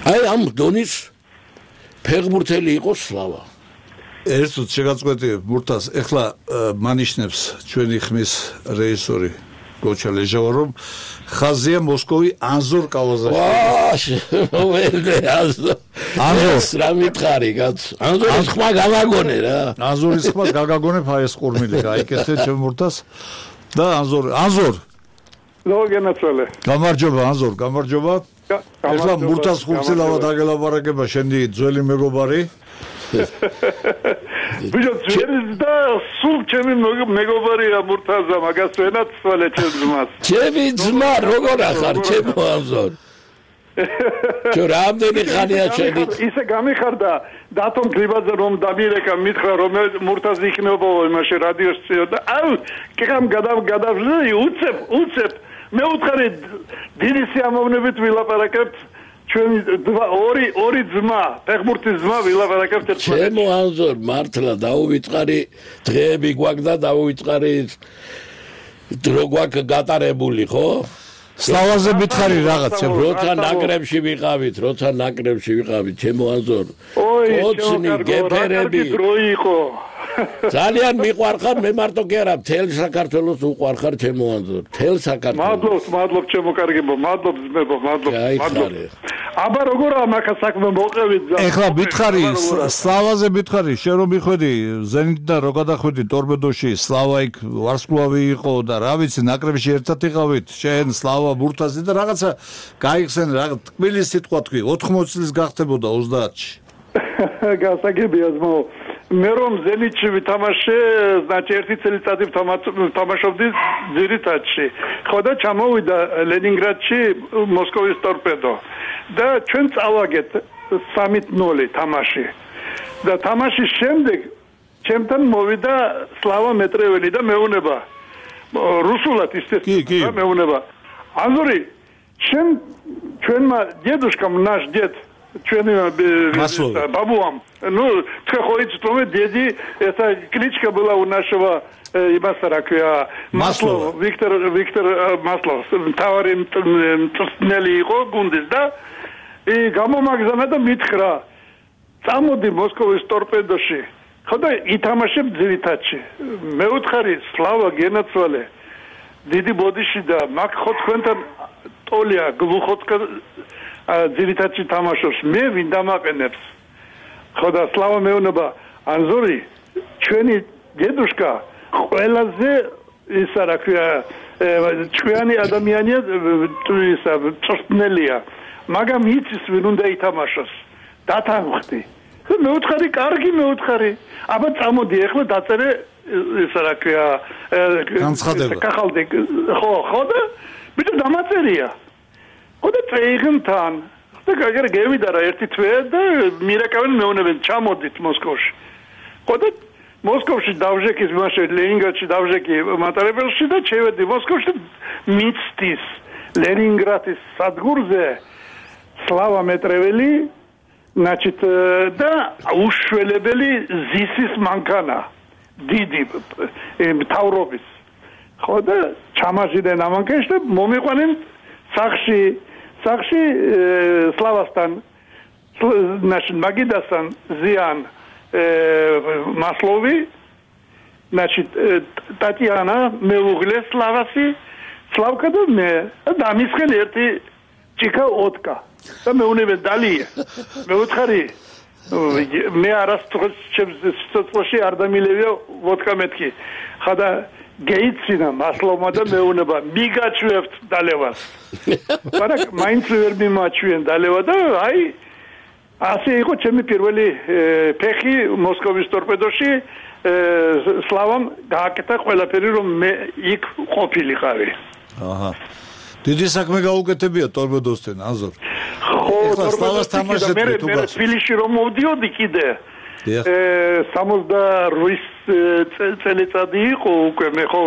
Speaker 5: აი ამ დონის ფეხბურთელი იყო სლავა
Speaker 2: ერთოდ შეგაწყვეტი ბურთას ეხლა მანიშნებს ჩვენი ხმის რეჟისორი გოჩა ლეჟავა რომ ხაზია მოსკოვი ანზორ კავაზაში
Speaker 5: ვაი ანზორ ანზორს რა მითხარი კაც ანზორის ხმა გავაგონე რა
Speaker 2: ანზორის ხმა გაგაგონე ფაეს ყურმილი გაიკეთე ჩემ ბურთას და ანზორ ანზორ
Speaker 6: ლოგენაცალე
Speaker 2: გამარჯობა ანზორ გამარჯობა ეხლა ბურთას ხუთილავა დაგელაპარაკება შენი ძველი მეგობარი
Speaker 6: ბიჭო ძველი და სულ ჩემი მეგობარია ბურთაზა მაგას ვენაც სვალე ჩემ ძმას
Speaker 5: ჩემი ძმა როგორ ახარ ჩემო ანზორ ჩო რამდენი ხანია შენი
Speaker 6: ისე გამიხარდა დათომ გრიბაძე რომ დამირეკა მითხრა რომ მურთაზ იქნებო იმაში რადიოს წიოდა აუ კიღამ გადავ გადავზი უცებ უცებ მე უთხარი დიდი სიამოვნებით ვილაპარაკებთ ჩვენი ორი ორი ძმა ფეხბურთის ძმა ვილაპარაკებთ ერთმანეთს
Speaker 5: ჩემო ანზორ მართლა დაუვიწყარი დღეები გვაქვს და დაუვიწყარი დრო გვაქვს გატარებული ხო
Speaker 2: სლავაზე მითხარი რაღაც
Speaker 5: როცა ნაკრებში ვიყავით როცა ნაკრებში ვიყავით ჩემო ანზორ ოცნი გეფერები
Speaker 6: დრო იყო
Speaker 5: ძალიან მიყვარხარ მე მარტო კი არა მთელ საქართველოს უყვარხარ ჩემო ანზორ მთელ საქართველოს
Speaker 6: მადლობ მადლობ ჩემო კარგებო მადლობ ძმებო მადლობ მადლობ აბა როგორა მაგა საქმე მოყევით
Speaker 2: ეხლა მითხარი სლავაზე მითხარი შენ რომ მიხვედი ზენიტიდან რო გადახვედი ტორპედოში სლავა იქ ვარსკვლავი იყო და რა ვიცი ნაკრებში ერთად იყავით შენ სლავა ბურთაზე და რაღაცა გაიხსენ რაღაც თბილი სიტყვა თქვი ოთხმოცი წლის გახდებოდა ოცდაათში
Speaker 6: გასაგებია ძმო მე რომ ზენიტში ვითამაშე значит ერთი წელიწადი ვთამაშობდი ძირითადში ხო და ჩამოვიდა ლენინგრადში მოსკოვის ტორპედო და ჩვენ წავაგეთ სამი ნული თამაში და თამაშის შემდეგ ჩემთან მოვიდა სლავა მეტრეველი და მეუნება რუსულად естественно და მეუნება ანზორი შენ ჩვენმა დედუშკამ наш дед ჩვენი бабуам ну ты ходишь что деди это кличка была у нашего имасарака Маслов Виктор Виктор Маслов таварим ტრსნელი იყო გუნდის და и გამომაგზავნა და მითხრა წამოდი მოსკოვის ტორპედოში ხო და ითამაშებ ძირითადში მე უთხარი სლავა გენაცვალე დიდი ბოდიში და მაგ ხო თქვენთან ტოლია გლუხოცკა ძირითადში თამაშობს მე ვინ დამაყენებს ხო და სლავა მეუნება ანზორი ჩვენი დედუშკა ყველაზე ისა რა ქვია ჩვენი ადამიანია ისა ტრსნელია მაგრამ იცის ვინ უნდა ითამაშოს დათანხმდი მე უთხარი კარგი მე უთხარი აბა წამოდი ახლა დაწერე ისა რა ქვია
Speaker 2: განცხადება
Speaker 6: კახალდი ხო ხო და ბიჭო დამაწერია ხო და წეიღმთან და გაგერ გევიდა რა ერთი თვე და მირეკავენ მეუნებენ ჩამოდით მოსკოვში ხო და მოსკოვში დავჟეკის მაშე ლენინგრადში დავჟეკი მატარებელში და შევედი მოსკოვში მიცდის ლენინგრადის სადგურზე სლავა მეტრეველი значит და უშველებელი ზისის მანქანა დიდი მთავრობის ხო და ჩამაჟიდნენ ამანქანში და მომიყვანენ სახში სახში სლავასთან значит მაგიდასთან ზიან Маслови, значит, Татьяна, მეუღლე სლავასი, სლავკა და მე და მისხენ ერთი ჭიქა ოტკა და მეუნებენ დალია. მე უთხარი მე არასდროს ჩემს არ დამილევია ვოდკა მეთქი. ხადა გეიცინა მასლოვმა და მეუნება მიგაჩვევთ დალევას. მაგრამ მაინც ვერ მიმაჩვენ დალევა და აი ასე იყო ჩემი პირველი ფეხი მოსკოვის ტორპედოში სლავამ გააკეთა ყველაფერი რომ მე იქ ყოფილიყავი.
Speaker 2: აჰა. დიდი საქმე გაუკეთებია ტორპედოსთან ანზორ.
Speaker 6: ხო, სლავას თამაშობდი თუ გას. თბილისში რომ მოვდიოდი კიდე. სამოცდაორი წელიწადი იყო უკვე მე ხო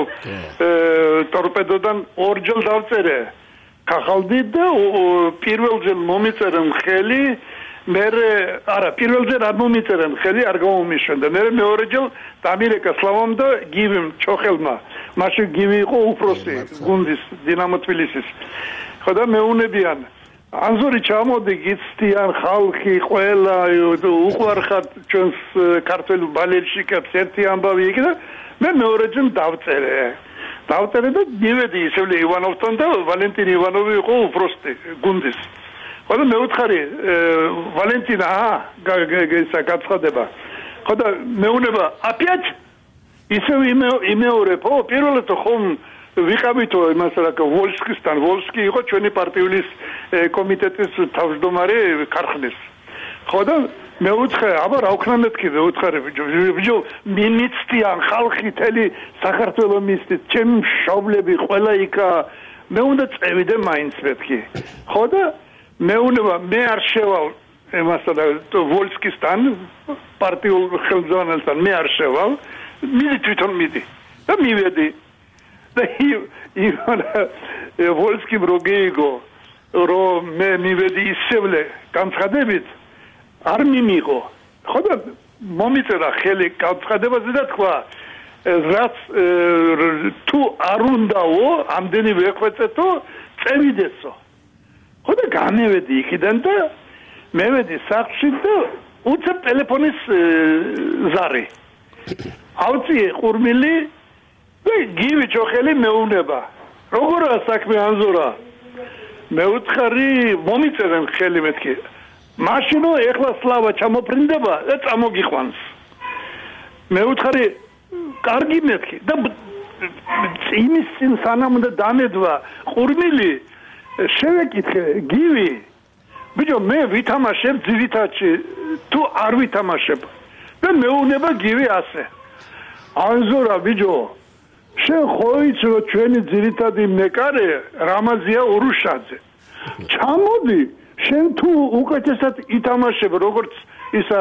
Speaker 6: ტორპედოდან ორჯერ დავწერე. კახალდი და პირველჯერ მომიწერე მხელი მე არა პირველჯერ არ მომიწერენ ხელი არ გამომიშვენდა მე მეორე ჯერ დამირეკა სლავამ და გივიმ ჩოხელმა მაშინ გივი იყო უფროსი გუნდის დინამო თბილისის ხო და მეუნებიან ანზორი ჩამოდი გიცდიან ხალხი ყველა უყვარხარ ჩვენს ქართულ ბალერშიკებს ერთი ამბავი იქ და მე მეორე ჯერ დავწერე დავწერე და მივედი ისევ ივანოვთან და ვალენტინ ივანოვი იყო უფროსი გუნდის ხო და მეუთხარი ვალენტინა გაგესა გაცხადება ხო და მეუნება აპიაც ისევ იმეორებო პირველად ხომ ვიყავითო იმას რა ვოლსკისთან ვოლსკი იყო ჩვენი პარტიული კომიტეტის თავმჯდომარე ქარხნის ხო და მე უცხე აბა რა ვქნა მეთქი მე უცხარე ბიჭო მინიცტიან ხალხი თელი საქართველოს მისდით ჩემი მშობლები ყველა იქა მე უნდა წევიდე მაინც მეთქი ხო და მე უნდა მე არ შევალ იმასთან ვოლსკისთან პარტიულ ხელმძღვანელთან მე არ შევალ მიდი თვითონ მიდი და მივედი და ივან ვოლსკიმ როგეიგო რომ მე მივედი ისევლე განცხადებით არ მიმიღო ხო და მომიწერა ხელი განცხადებაზე და თქვა რაც თუ არ უნდაო ამდენი ვეხვეწეთო წევიდესო ხო და გამევედი იქიდან და მევედი სახლში და უცებ ტელეფონის ზარი ავწიე ყურმილი და გივი ჩოხელი მეუნება როგორა საქმე ანზორა მე უთხარი მომიწერენ ხელი მეთქი მაშინო ეხლა სლავა ჩამოფრინდება და წამოგიყვანს მე უთხარი კარგი მეთქი და იმის წინ სანამ და დამედვა ყურმილი შევეკითხე გივი ბიჭო მე ვითამაშებ ძირითადში თუ არ ვითამაშებ და მეუნება გივი ასე ანზორა ბიჭო შენ ხო იცი რომ ჩვენი ძირითადი მეკარე რამაზია ურუშაძე ჩამოდი შენ თუ უკეთესად ითამაშებ როგორც ისა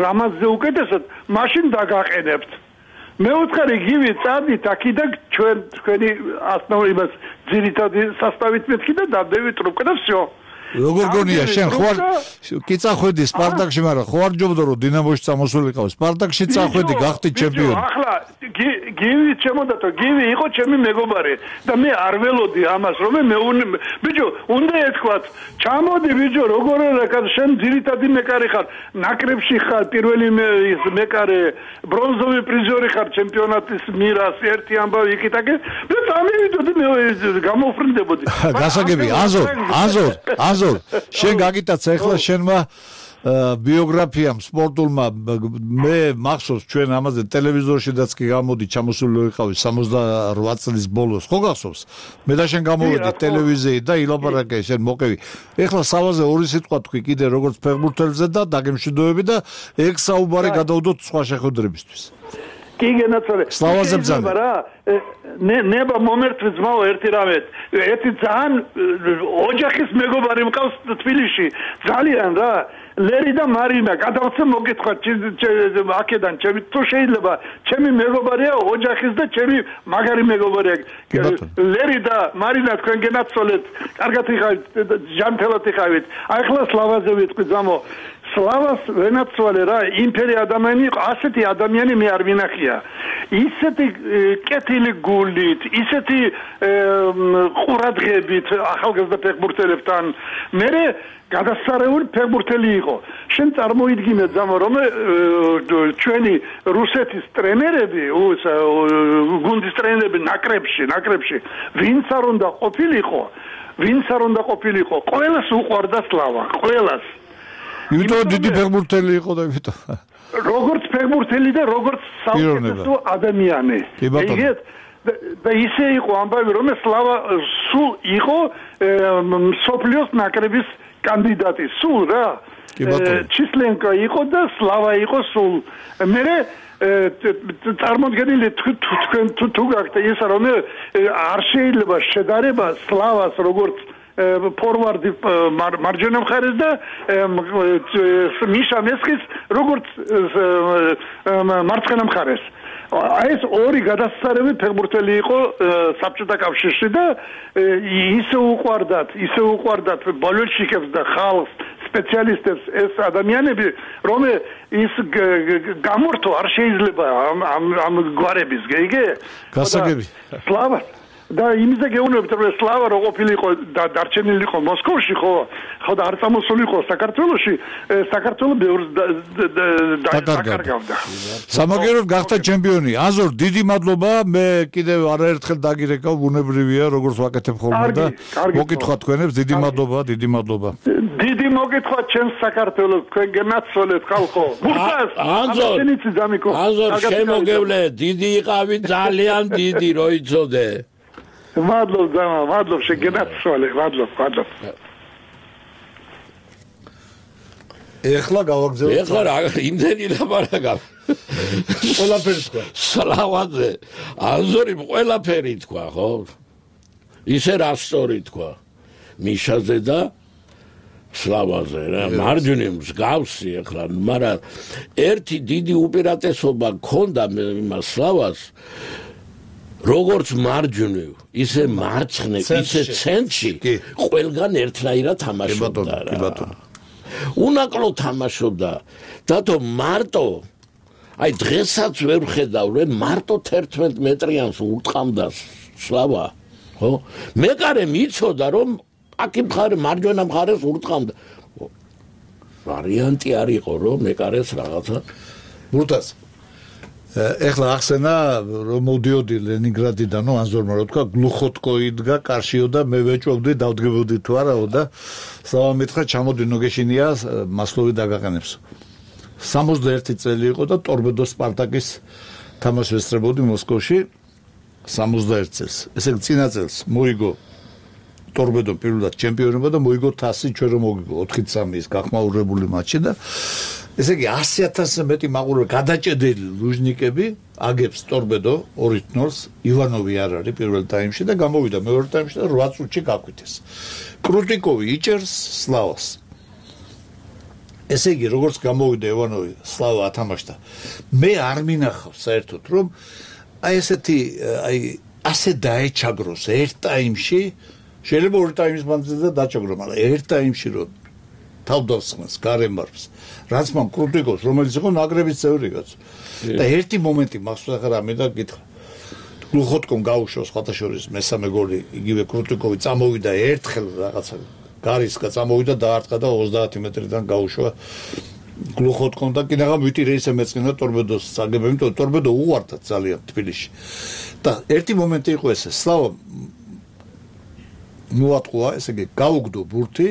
Speaker 6: რამაზზე უკეთესად მაშინ დაგაყენებთ მე უთხარი გივი წადით აქედან ჩვენ თქვენი ასნაურებას ძირითადი სასტავით მეთქი და დავდევი ტრუბკა და всё
Speaker 2: როგორ გონია შენ ხო არ კი წახვედი სპარტაკში მაგრამ ხო არ ჯობდა რომ დინამოში წამოსულიყავ სპარტაკში წახვედი გახდი ჩემპიონი
Speaker 6: ახლა გივი ჩემოდათო გივი იყო ჩემი მეგობარი და მე არ ველოდი ამას რომ მე ბიჭო უნდა ეთქვათ ჩამოდი ბიჭო როგორ არა შენ ძირითადი მეკარე ხარ ნაკრებში ხარ პირველი მეკარე ბრონზოვი პრიზორი ხარ ჩემპიონატის მირას ერთი ამბავი იქითაკე მე წამივიდოდი მე გამოფრინდებოდი
Speaker 2: გასაგები აზორ აზორ აზორ შენ გაგიტაცა ახლა შენმა ბიოგრაფიამ სპორტულმა მე მახსოვს ჩვენ ამაზე ტელევიზორშიდაც კი გამოდი ჩამოსული ვიყავი სამოცდაოთხ წლის ბოლოს ხო გახსოვს მე და შენ გამოვედი ტელევიზიით და ილაპარაკე შენ მოყევი ეხლა სავაზე ორი სიტყვა თქვი კიდე როგორც ფეხბურთელზე და დაგემშვიდობები და ეგ საუბარი გადავდოთ სხვა შეხვედრებისთვის
Speaker 6: კი გენაცვალე
Speaker 2: სლავაზე ბრძანა
Speaker 6: რა ნება მომერთვი ძმაო ერთი რამე ერთი ძალიან ოჯახის მეგობარი მყავს თბილისში ძალიან რა ლერი და მარინა გადავცე მოგეთქვა აქედან ჩემი თუ შეიძლება ჩემი მეგობარია ოჯახის და ჩემი მაგარი მეგობარია ლერი და მარინა თქვენ გენაცვალეთ კარგად იყავით ჟანთელად იყავით აი ახლა სლავაზე ვიტყვი ძმაო სლავას ვენაცვალე რა იმპერი ადამიანი იყო ასეთი ადამიანი მე არ ვინახია ისეთი კეთილი გულით ისეთი ყურადღებით ახალგაზრდა ფეხბურთელებთან მე გადასარეული ფეხბურთელი იყო შენ წარმოიდგინე ძმაო რომ ჩვენი რუსეთის ტრენერები გუნდის ტრენერები ნაკრებში ნაკრებში ვინც არ უნდა ყოფილიყო ვინც არ უნდა ყოფილიყო ყველას უყვარდა სლავა ყველას
Speaker 2: იმიტომ დიდი ფეხბურთელი იყო და იმიტომ
Speaker 6: როგორც ფეხბურთელი და როგორც საუკეთესო ადამიანი ეგეთ და ისე იყო ამბავი რომ სლავა სულ იყო სოფლიოს ნაკრების კანდიდატი სულ რა ჩისლენკა იყო და სლავა იყო სულ მე წარმოდგენილი თქვენ თუ გაქვთ ისა რომ არ შეიძლება შედარება სლავას როგორც ფორვარდი მარჯვენა მხარეს და მიშა მესხის როგორც მარცხენა მხარეს აი ეს ორი გადასწარები ფეხბურთელი იყო საბჭოთა კავშირში და ისე უყვარდათ ისე უყვარდათ ბოლშევიკებს და ხალხს სპეციალისტებს ეს ადამიანები რომ ის გამორთო არ შეიძლება ამ ამ გვარების გეიგე
Speaker 2: გასაგები
Speaker 6: სლავა და იმიზე გეუბნებით რომ სლავა რო ყოფილიყო და დარჩენილიყო მოსკოვში ხო ხო და არ წამოსულიყო საქართველოში საქართველოს ბევრს დაკარგავდა
Speaker 2: სამაგეროდ გახდა ჩემპიონი აზორ დიდი მადლობა მე კიდევ არაერთხელ დაგირეკავ ბუნებრივია როგორც ვაკეთებ ხოლმე და მოგკითხვა თქვენებს დიდი მადლობა დიდი მადლობა
Speaker 6: დიდი მოგკითხვა ჩემს საქართველოს თქვენ გენაცვალეთ ხალხო
Speaker 5: აზორ აზორ შემოგევლე დიდი იყავი ძალიან დიდი რო იცოდე
Speaker 6: მადლობ ძმა მადლობ შეგენაცვალე მადლობ მადლობ
Speaker 2: ეხლა გავაგზავნე
Speaker 5: ეხლა რა იმდენი ლაპარაკა
Speaker 2: ყველაფერი თქვა
Speaker 5: სლავაზე აზორი ყველაფერი თქვა ხო ისე რა სწორი თქვა მიშაზე და სლავაზე რა მარჯვნივ მსგავსი ეხლა მაგრამ ერთი დიდი უპირატესობა ჰქონდა იმას სლავას როგორც მარჯვნივ ისე მარცხნივ ისე ცენტრში ყველგან ერთნაირად თამაშობდა რა უნაკლო თამაშობდა დათო მარტო აი დღესაც ვერ ხედავ რომ მარტო თერთმეტ მეტრიანს ურტყამდა სლავა ხო მეკარე მიცოდა რომ აკი მხარე მარჯვენა მხარეს ურტყამდა ვარიანტი არ იყო რომ მეკარეს რაღაცა
Speaker 2: მურტას ეხლა ახსენა რომ მოდიოდი ლენინგრადიდან აზორმა რო თქვა გლუხოტკო იდგა კარშიო და მე ვეჭვობდი დავდგებოდი თუ არაო და სლავა მითხრა ჩამოდი ნოგეშინია მასლოვი დაგაყენებს სამოცდაერთი წელი იყო და ტორპედო სპარტაკის თამაშს ვესწრებოდი მოსკოვში სამოცდაერთ წელს ესე იგი წინა წელს მოიგო ტორპედო პირველად ჩემპიონობა და მოიგო თასი ჩვენ რომ მოგიგო ოთხი სამი ის გახმაურებული მატჩი და ესე იგი ასი ათასზე მეტი მაყურებელი გადაჭედილი ლუჟნიკები აგებს ტორპედო ორი ნოლს ივანოვი არ არის პირველ ტაიმში და გამოვიდა მეორე ტაიმში და რვა წუთში გაკვეთეს კრუტიკოვი იჭერს სლავას ესე იგი როგორც გამოვიდა ივანოვი სლავა ათამაშდა მე არ მინახავს საერთოდ რომ აი ესეთი აი ასე დაეჩაგროს ერთ ტაიმში შეიძლება ორი ტაიმის მანძილზე დაჩაგრო მაგრამ ერთ ტაიმში რომ თავდასხმას გარემარს რაც მან კრუტიკოს რომელიც იყო ნაკრების წევრი კაც და ერთი მომენტი მახსოვს ახლა მე და გითხრა გლუხოტკომ გაუშვოს ხათაშორის მესამე გოლი იგივე კრუტიკოვი წამოვიდა ერთხელ რაღაცა გარისკა წამოვიდა დაარტყა და ოცდაათი მეტრიდან გაუშვა გლუხოტკომ და კიდევ ვიტირე ისე მეწყინა ტორპედოს საგებები იმიტომ ტორპედო უყვარდა ძალიან თბილისში და ერთი მომენტი იყო ესე სლავა მოატყუა ესე იგი გაუგდო ბურთი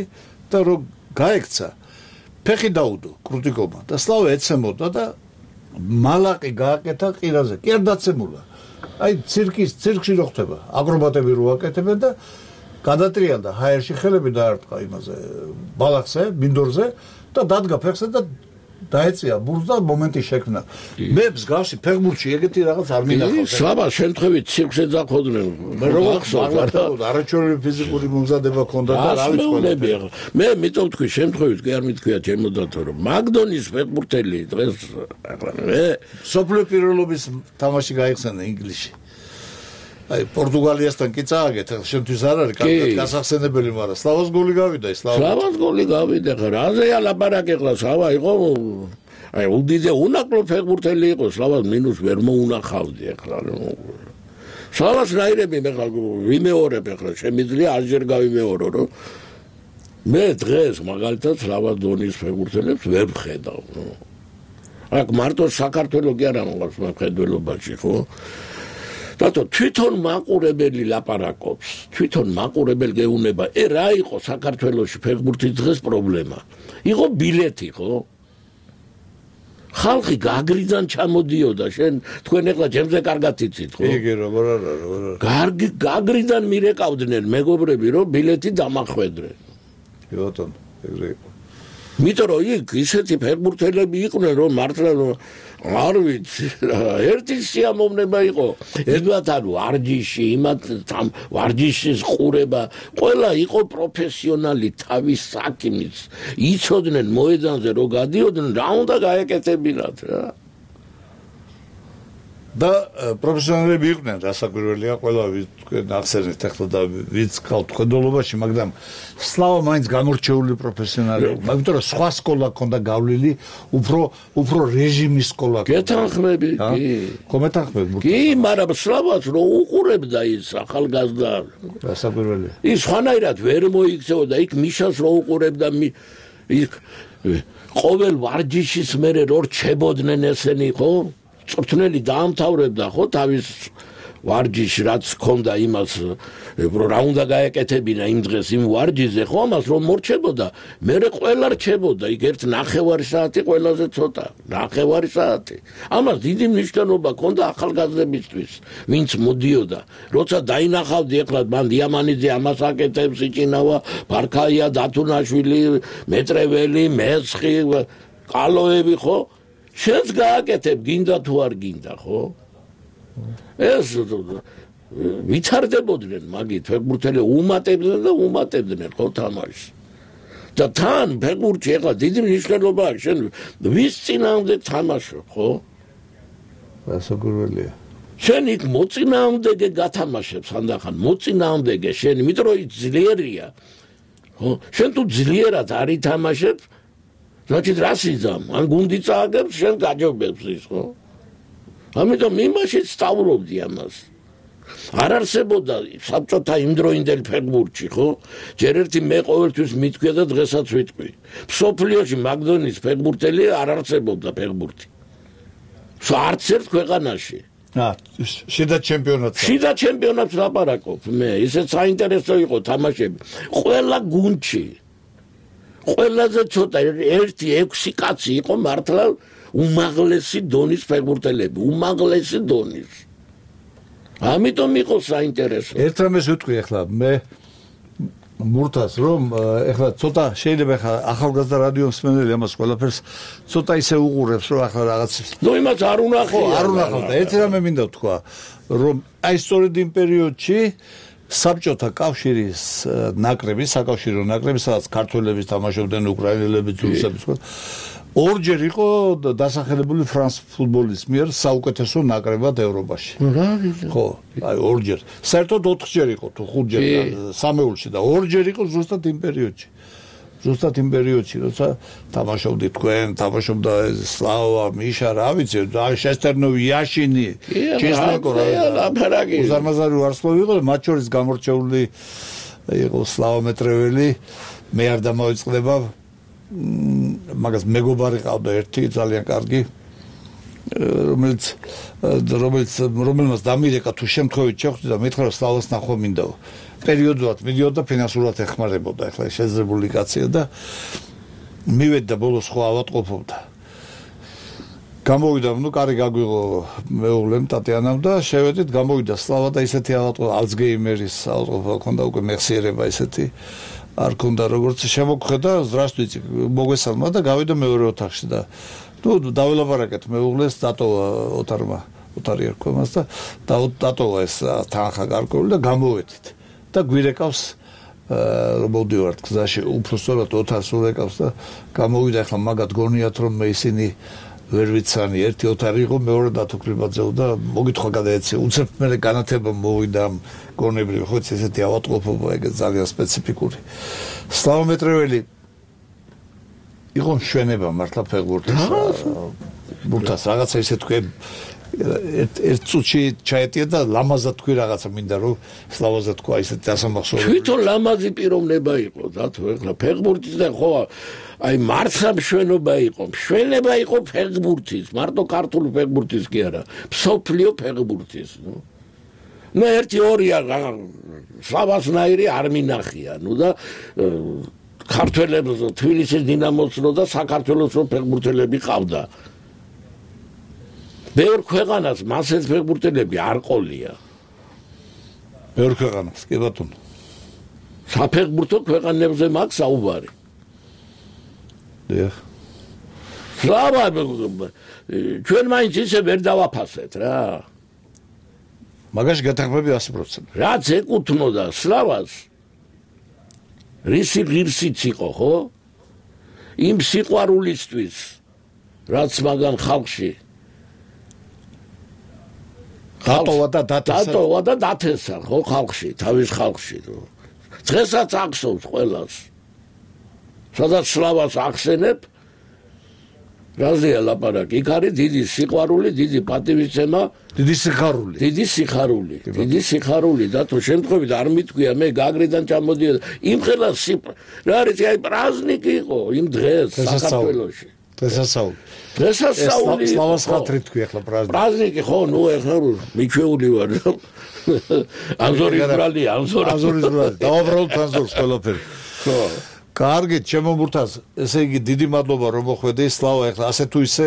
Speaker 2: და რო გაექცა ფეხი დაუდო კრუტიკოვმა და სლავა ეცემოდა და მალაყი გააკეთა ყირაზე კი არ დაცემულა აი ცირკის ცირკში რო ხდება აკრობატები რო აკეთებენ და გადატრიალდა ჰაერში ხელები დაარტყა იმაზე ბალახზე მინდორზე და დადგა ფეხზე და დაეწია ბურთს და მომენტი შექმნა მე მსგავსი ფეხბურთში ეგეთი რაღაც არ მინახავს
Speaker 5: სლავა შემთხვევით ცირკს ეძახოდნენ
Speaker 2: მე რო ახსოვს არაჩვეულებრივი ფიზიკური მომზადება ჰქონდა და რა ვიცი ყველა
Speaker 5: მე მიტომ თქვი შემთხვევით კი არ მithქვია ჩემოდათო რომ მაგდონის ფეხბურთელი დღეს ახლა მე
Speaker 2: სოფლიო პირველობის თამაში გაიხსენა ინგლისში აი პორტუგალიასთან კი წააგეთ შემთხვევით არ არის კარგად გასახსენებელი მაგრამ სლავას გოლი გავიდა ის
Speaker 5: სლავას გოლი გავიდა ხა რაზეა ლაპარაკი ხლა სლავა იყო აი უდიდე უნაკლო ფეხბურთელი იყო სლავას მინუს ვერ მოუნახავდი ხლა სლავას რაირები მე ხა ვიმეორებ ხლა შემიძლია ასჯერ გავიმეორო რომ მე დღეს მაგალითად სლავას დონის ფეხბურთელებს ვერ ვხედავ აქ მარტო საქართველოს კი არა მოგავს მხედველობაში ხო დათო თვითონ მაყურებელი ლაპარაკობს თვითონ მაყურებელი გეუბნება ე რა იყო საქართველოში ფეხბურთის დღეს პრობლემა იყო ბილეთი ხო ხალხი გაგრიდან ჩამოდიოდა შენ თქვენ ეხლა ჩემზე კარგად იცით ხო
Speaker 2: იგი როგორ არა როგორ არა
Speaker 5: კარგი გაგრიდან მირეკავდნენ მეგობრები რომ ბილეთი დამახვედრენ
Speaker 2: კი ბატონო ეგრე იყო
Speaker 5: მითო რომ იქ ისეთი ფეხბურთელები იყვნენ რომ მართლა არ ვიცი ერთი სიამოვნება იყო ერთად ანუ ვარჯიში იმათ ვარჯიშის ყურება ყველა იყო პროფესიონალი თავის საქმის იცოდნენ მოედანზე რომ გადიოდნენ რა უნდა გაეკეთებინათ რა
Speaker 2: და პროფესიონალები იყვნენ, რასაკვირველია, ყველა თქვენ ახსენეთ ახლა და ვიც გავთ ხედულობაში, მაგრამ სლავა მაინც გამორჩეული პროფესიონალია, მაგრამ სხვა სკოლა ქონდა გავლილი, უფრო უფრო რეჟიმის სკოლა.
Speaker 5: გეთანხმები, კი.
Speaker 2: კომეთანხმები.
Speaker 5: კი, მაგრამ სლავას რო უყურებდა ის ახალგაზრდა.
Speaker 2: რასაკვირველია.
Speaker 5: ის ხანაირად ვერ მოიქცეოდა, იქ მიშას რო უყურებდა, იქ ყოველ ვარჯიშის მერე რო რჩებოდნენ ესენი, ხო? წვრთნელი დაამთავრებდა ხო თავის ვარჯიში რაც ჰქონდა იმას რო რა უნდა გაეკეთებინა იმ დღეს იმ ვარჯიშზე ხო ამას რომ მორჩებოდა მერე ყველა რჩებოდა იქ ერთ ნახევარი საათი ყველაზე ცოტა ნახევარი საათი ამას დიდი მნიშვნელობა ჰქონდა ახალგაზრდებისთვის ვინც მოდიოდა როცა დაინახავდი ახლა მან დიამანიძე ამას აკეთებს იჭინავა ბარქაია დათუნაშვილი მეტრეველი მესხი კალოები ხო შენს გააკეთებ გინდა თუ არ გინდა ხო ეს ვითარდებოდნენ მაგით ფეხბურთელი უმატებდნენ და უმატებდნენ ხო თამაშს და თან ფეხბურთი ახლა დიდი მნიშვნელობა აქვს შენ ვის წინააღმდეგ თამაშობ ხო
Speaker 2: რასაკვირველია
Speaker 5: შენ იქ მოწინააღმდეგე გათამაშებს ანდახან მოწინააღმდეგე შენ იმიტომ რომ ძლიერია ხო შენ თუ ძლიერად არ ითამაშებ значит расიზამ ან გუნდი წააგებს შენ გაჯობებს ის ხო ამიტომ იმაში სწავლობდი ამას არ არსებობდა საბჭოთა იმდროინდელ ფეხბურთში ხო ჯერ ერთი მე ყოველთვის მithქვია და დღესაც ვიტყვი სოფლიოში მაგდონის ფეხბურთელი არ არსებობდა ფეხბურთი არც ერთ ქვეყანაში
Speaker 2: ა შიდა ჩემპიონატს
Speaker 5: შიდა ჩემპიონატს ლაპარაკობ მე ისეთ საინტერესო იყო თამაშები ყველა გუნდში ყველაზე ცოტა ერთი ექვსი კაცი იყო მართლა უმაღლესი დონის ფეხბურთელები უმაღლესი დონის ამიტომ იყო საინტერესო
Speaker 2: ერთ რამეს ვიტყვი ახლა მე მურთას რომ ახლა ცოტა შეიძლება ახლა ახალგაზრდა რადიო მსმენელი ამას ყველაფერს ცოტა ისე უყურებს რომ ახლა რაღაც
Speaker 5: ნუ იმას არ უნახია
Speaker 2: არ უნახავს და ერთ რამე მინდა ვთქვა რომ აი სწორედ იმ პერიოდში საბჭოთა კავშირის ნაკრები, საკავშირო ნაკრები, სადაც ქართველები თამაშობდნენ, უკრაინელები, რუსები, ორჯერ იყო დასახელებული ფრანს ფუტბოლის მიერ საუკეთესო ნაკრებად ევროპაში. ხო, აი ორჯერ. საერთოდ ოთხჯერ იყო თუ ხუთჯერ სამეულში და ორჯერ იყო ზუსტად იმ პერიოდში. ზუსტად იმ პერიოდში, როცა თამაშობდი თქვენ, თამაშობდა სლავა, მიშა, რა ვიცი, შესტერნოვი, იაშინი, ჩესლენკო რა. უზარმაზარი ვარსკვლავი იყო, მათ შორის გამორჩეული იყო სლავა მეტრეველი, მე არ დამოიწყდება, მაგას მეგობარი ყავდა ერთი ძალიან კარგი, რომელიც რომელიც რომელმაც დამირეკა თუ შემთხვევით შეხვდი და მითხრა სლავას ნახვა მინდაო. პერიოდულად მიდიოდა ფინანსურად ეხმარებოდა ახლა შეძრებული კაცია და მივედა ბოლოს ხო ავატყოფობდა გამოვიდა ნუ კარი გაგვიღო მეუღლემ ტატიანამ და შევედით გამოვიდა სლავა და ისეთი ავატყო ალცგეიმერის ავატყოფა ქონდა უკვე მეხსიერება ისეთი არ ქონდა როგორც შემოგხედა ზრასტვიცი მოგესალმა და გავიდა მეორე ოთახში და ნუ დაველაპარაკეთ მეუღლეს დატოვა ოთარმა ოთარი არ ქვემას და დატოვა ეს თანხა გარკვეული და გამოვედით და გვირეკავს რომ მოვდივართ გზაში უფრო სწორად ოთარს ურეკავს და გამოვიდა ახლა მაგათ გონიათ რომ მე ისინი ვერ ვიცანი ერთი ოთარი იყო მეორე დათუქრიბაძეო და მოგითხვა გადაეცე უცებ მე განათება მოვიდა გონებრივი ხო ესეთი ავატყოფობა ეგ ძალიან სპეციფიკური სლავა მეტრეველი იყო მშვენება მართლა ფეხბურთის ბურთას რაღაცა ისე თქვი ერთ წუთში ჩაეტია და ლამაზად თქვი რაღაცა მინდა რომ სლავაზე თქვა ისეთ დასამახსოვრებელი
Speaker 5: თვითონ ლამაზი პიროვნება იყო და თუ ეხლა ფეხბურთის და ხო აი მარცხა მშვენობა იყო მშვენება იყო ფეხბურთის მარტო ქართული ფეხბურთის კი არა მსოფლიო ფეხბურთის ნუ ნუ ერთი ორია სლავასნაირი არ მინახია ნუ და ქართველებს თბილისის დინამოს და საქართველოს ფეხბურთელები ყავდა ბევრ ქვეყანას მასეთ ფეხბურთელები არ ყოლია.
Speaker 2: ბევრ ქვეყანას, კი ბატონო.
Speaker 5: საფეხბურთო ქვეყანებზე მაქვს საუბარი.
Speaker 2: დიახ.
Speaker 5: სლავა ჩვენ მაინც ისე ვერ დავაფასეთ რა.
Speaker 2: მაგაში გათანხმები ასი პროცენტი.
Speaker 5: რაც ეკუთვნოდა სლავას რისი ღირსიც იყო, ხო? იმ სიყვარულისთვის, რაც მაგან ხალხში
Speaker 2: დატოვა და დათესა.
Speaker 5: დატოვა და დათესა ხო ხალხში, თავის ხალხში. დღესაც ახსოვს ყველას. სადაც სლავას ახსენებ, რაზეა ლაპარაკი? იქ არის დიდი სიყვარული, დიდი პატივისცემა,
Speaker 2: დიდი სიხარული.
Speaker 5: დიდი სიხარული, დიდი სიხარული და თუ შემთხვევით არ მithქვია მე გაგრიდან ჩამოდიოდა. იმ ხელას რა არის აი პრაზნიკი იყო იმ დღეს საქართველოში.
Speaker 2: დღესასწაული.
Speaker 5: დღესასწაული.
Speaker 2: სლავას ხათრი თქვი ახლა პრაზნიკი.
Speaker 5: პრაზნიკი ხო, ნუ ახლა მიჩვეული ვარ. ანზორი ბრალი, ანზორი.
Speaker 2: ანზორი ბრალი. დავაბრალოთ ანზორს ყველაფერი.
Speaker 5: ხო.
Speaker 2: კარგი, ჩემო მურთაზ, ესე იგი დიდი მადლობა რომ მოხვედი, სლავა, ახლა ასე თუ ისე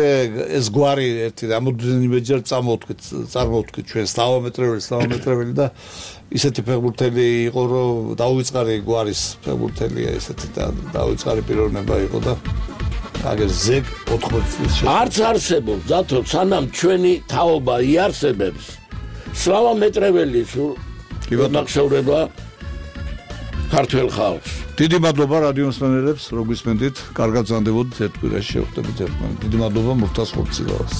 Speaker 2: ეს გვარი ერთი რამოდენიმეჯერ წამოვთქვით, წარმოვთქვით ჩვენ სლავამეტრეველი, სლავამეტრეველი და ისეთი ფეხბურთელი იყო, რომ დაუვიწყარი გვარის ფეხბურთელია ესეთი და დაუვიწყარი პიროვნება იყო და აგერ ზეგ ოთხმოცი წლის შემდეგ
Speaker 5: არც არსებობს, დათო, სანამ ჩვენი თაობა იარსებებს, სლავამეტრეველი სულ მოგხსევრება ქართველ ხალხს.
Speaker 2: დიდი მადლობა რადიო მსმენელებს, რომ გვისმენთ, კარგად ზანდებოდით ერთ კვირაში შევხვდებით ერთმანეთს. დიდი მადლობა მურთაზ ხორციელას.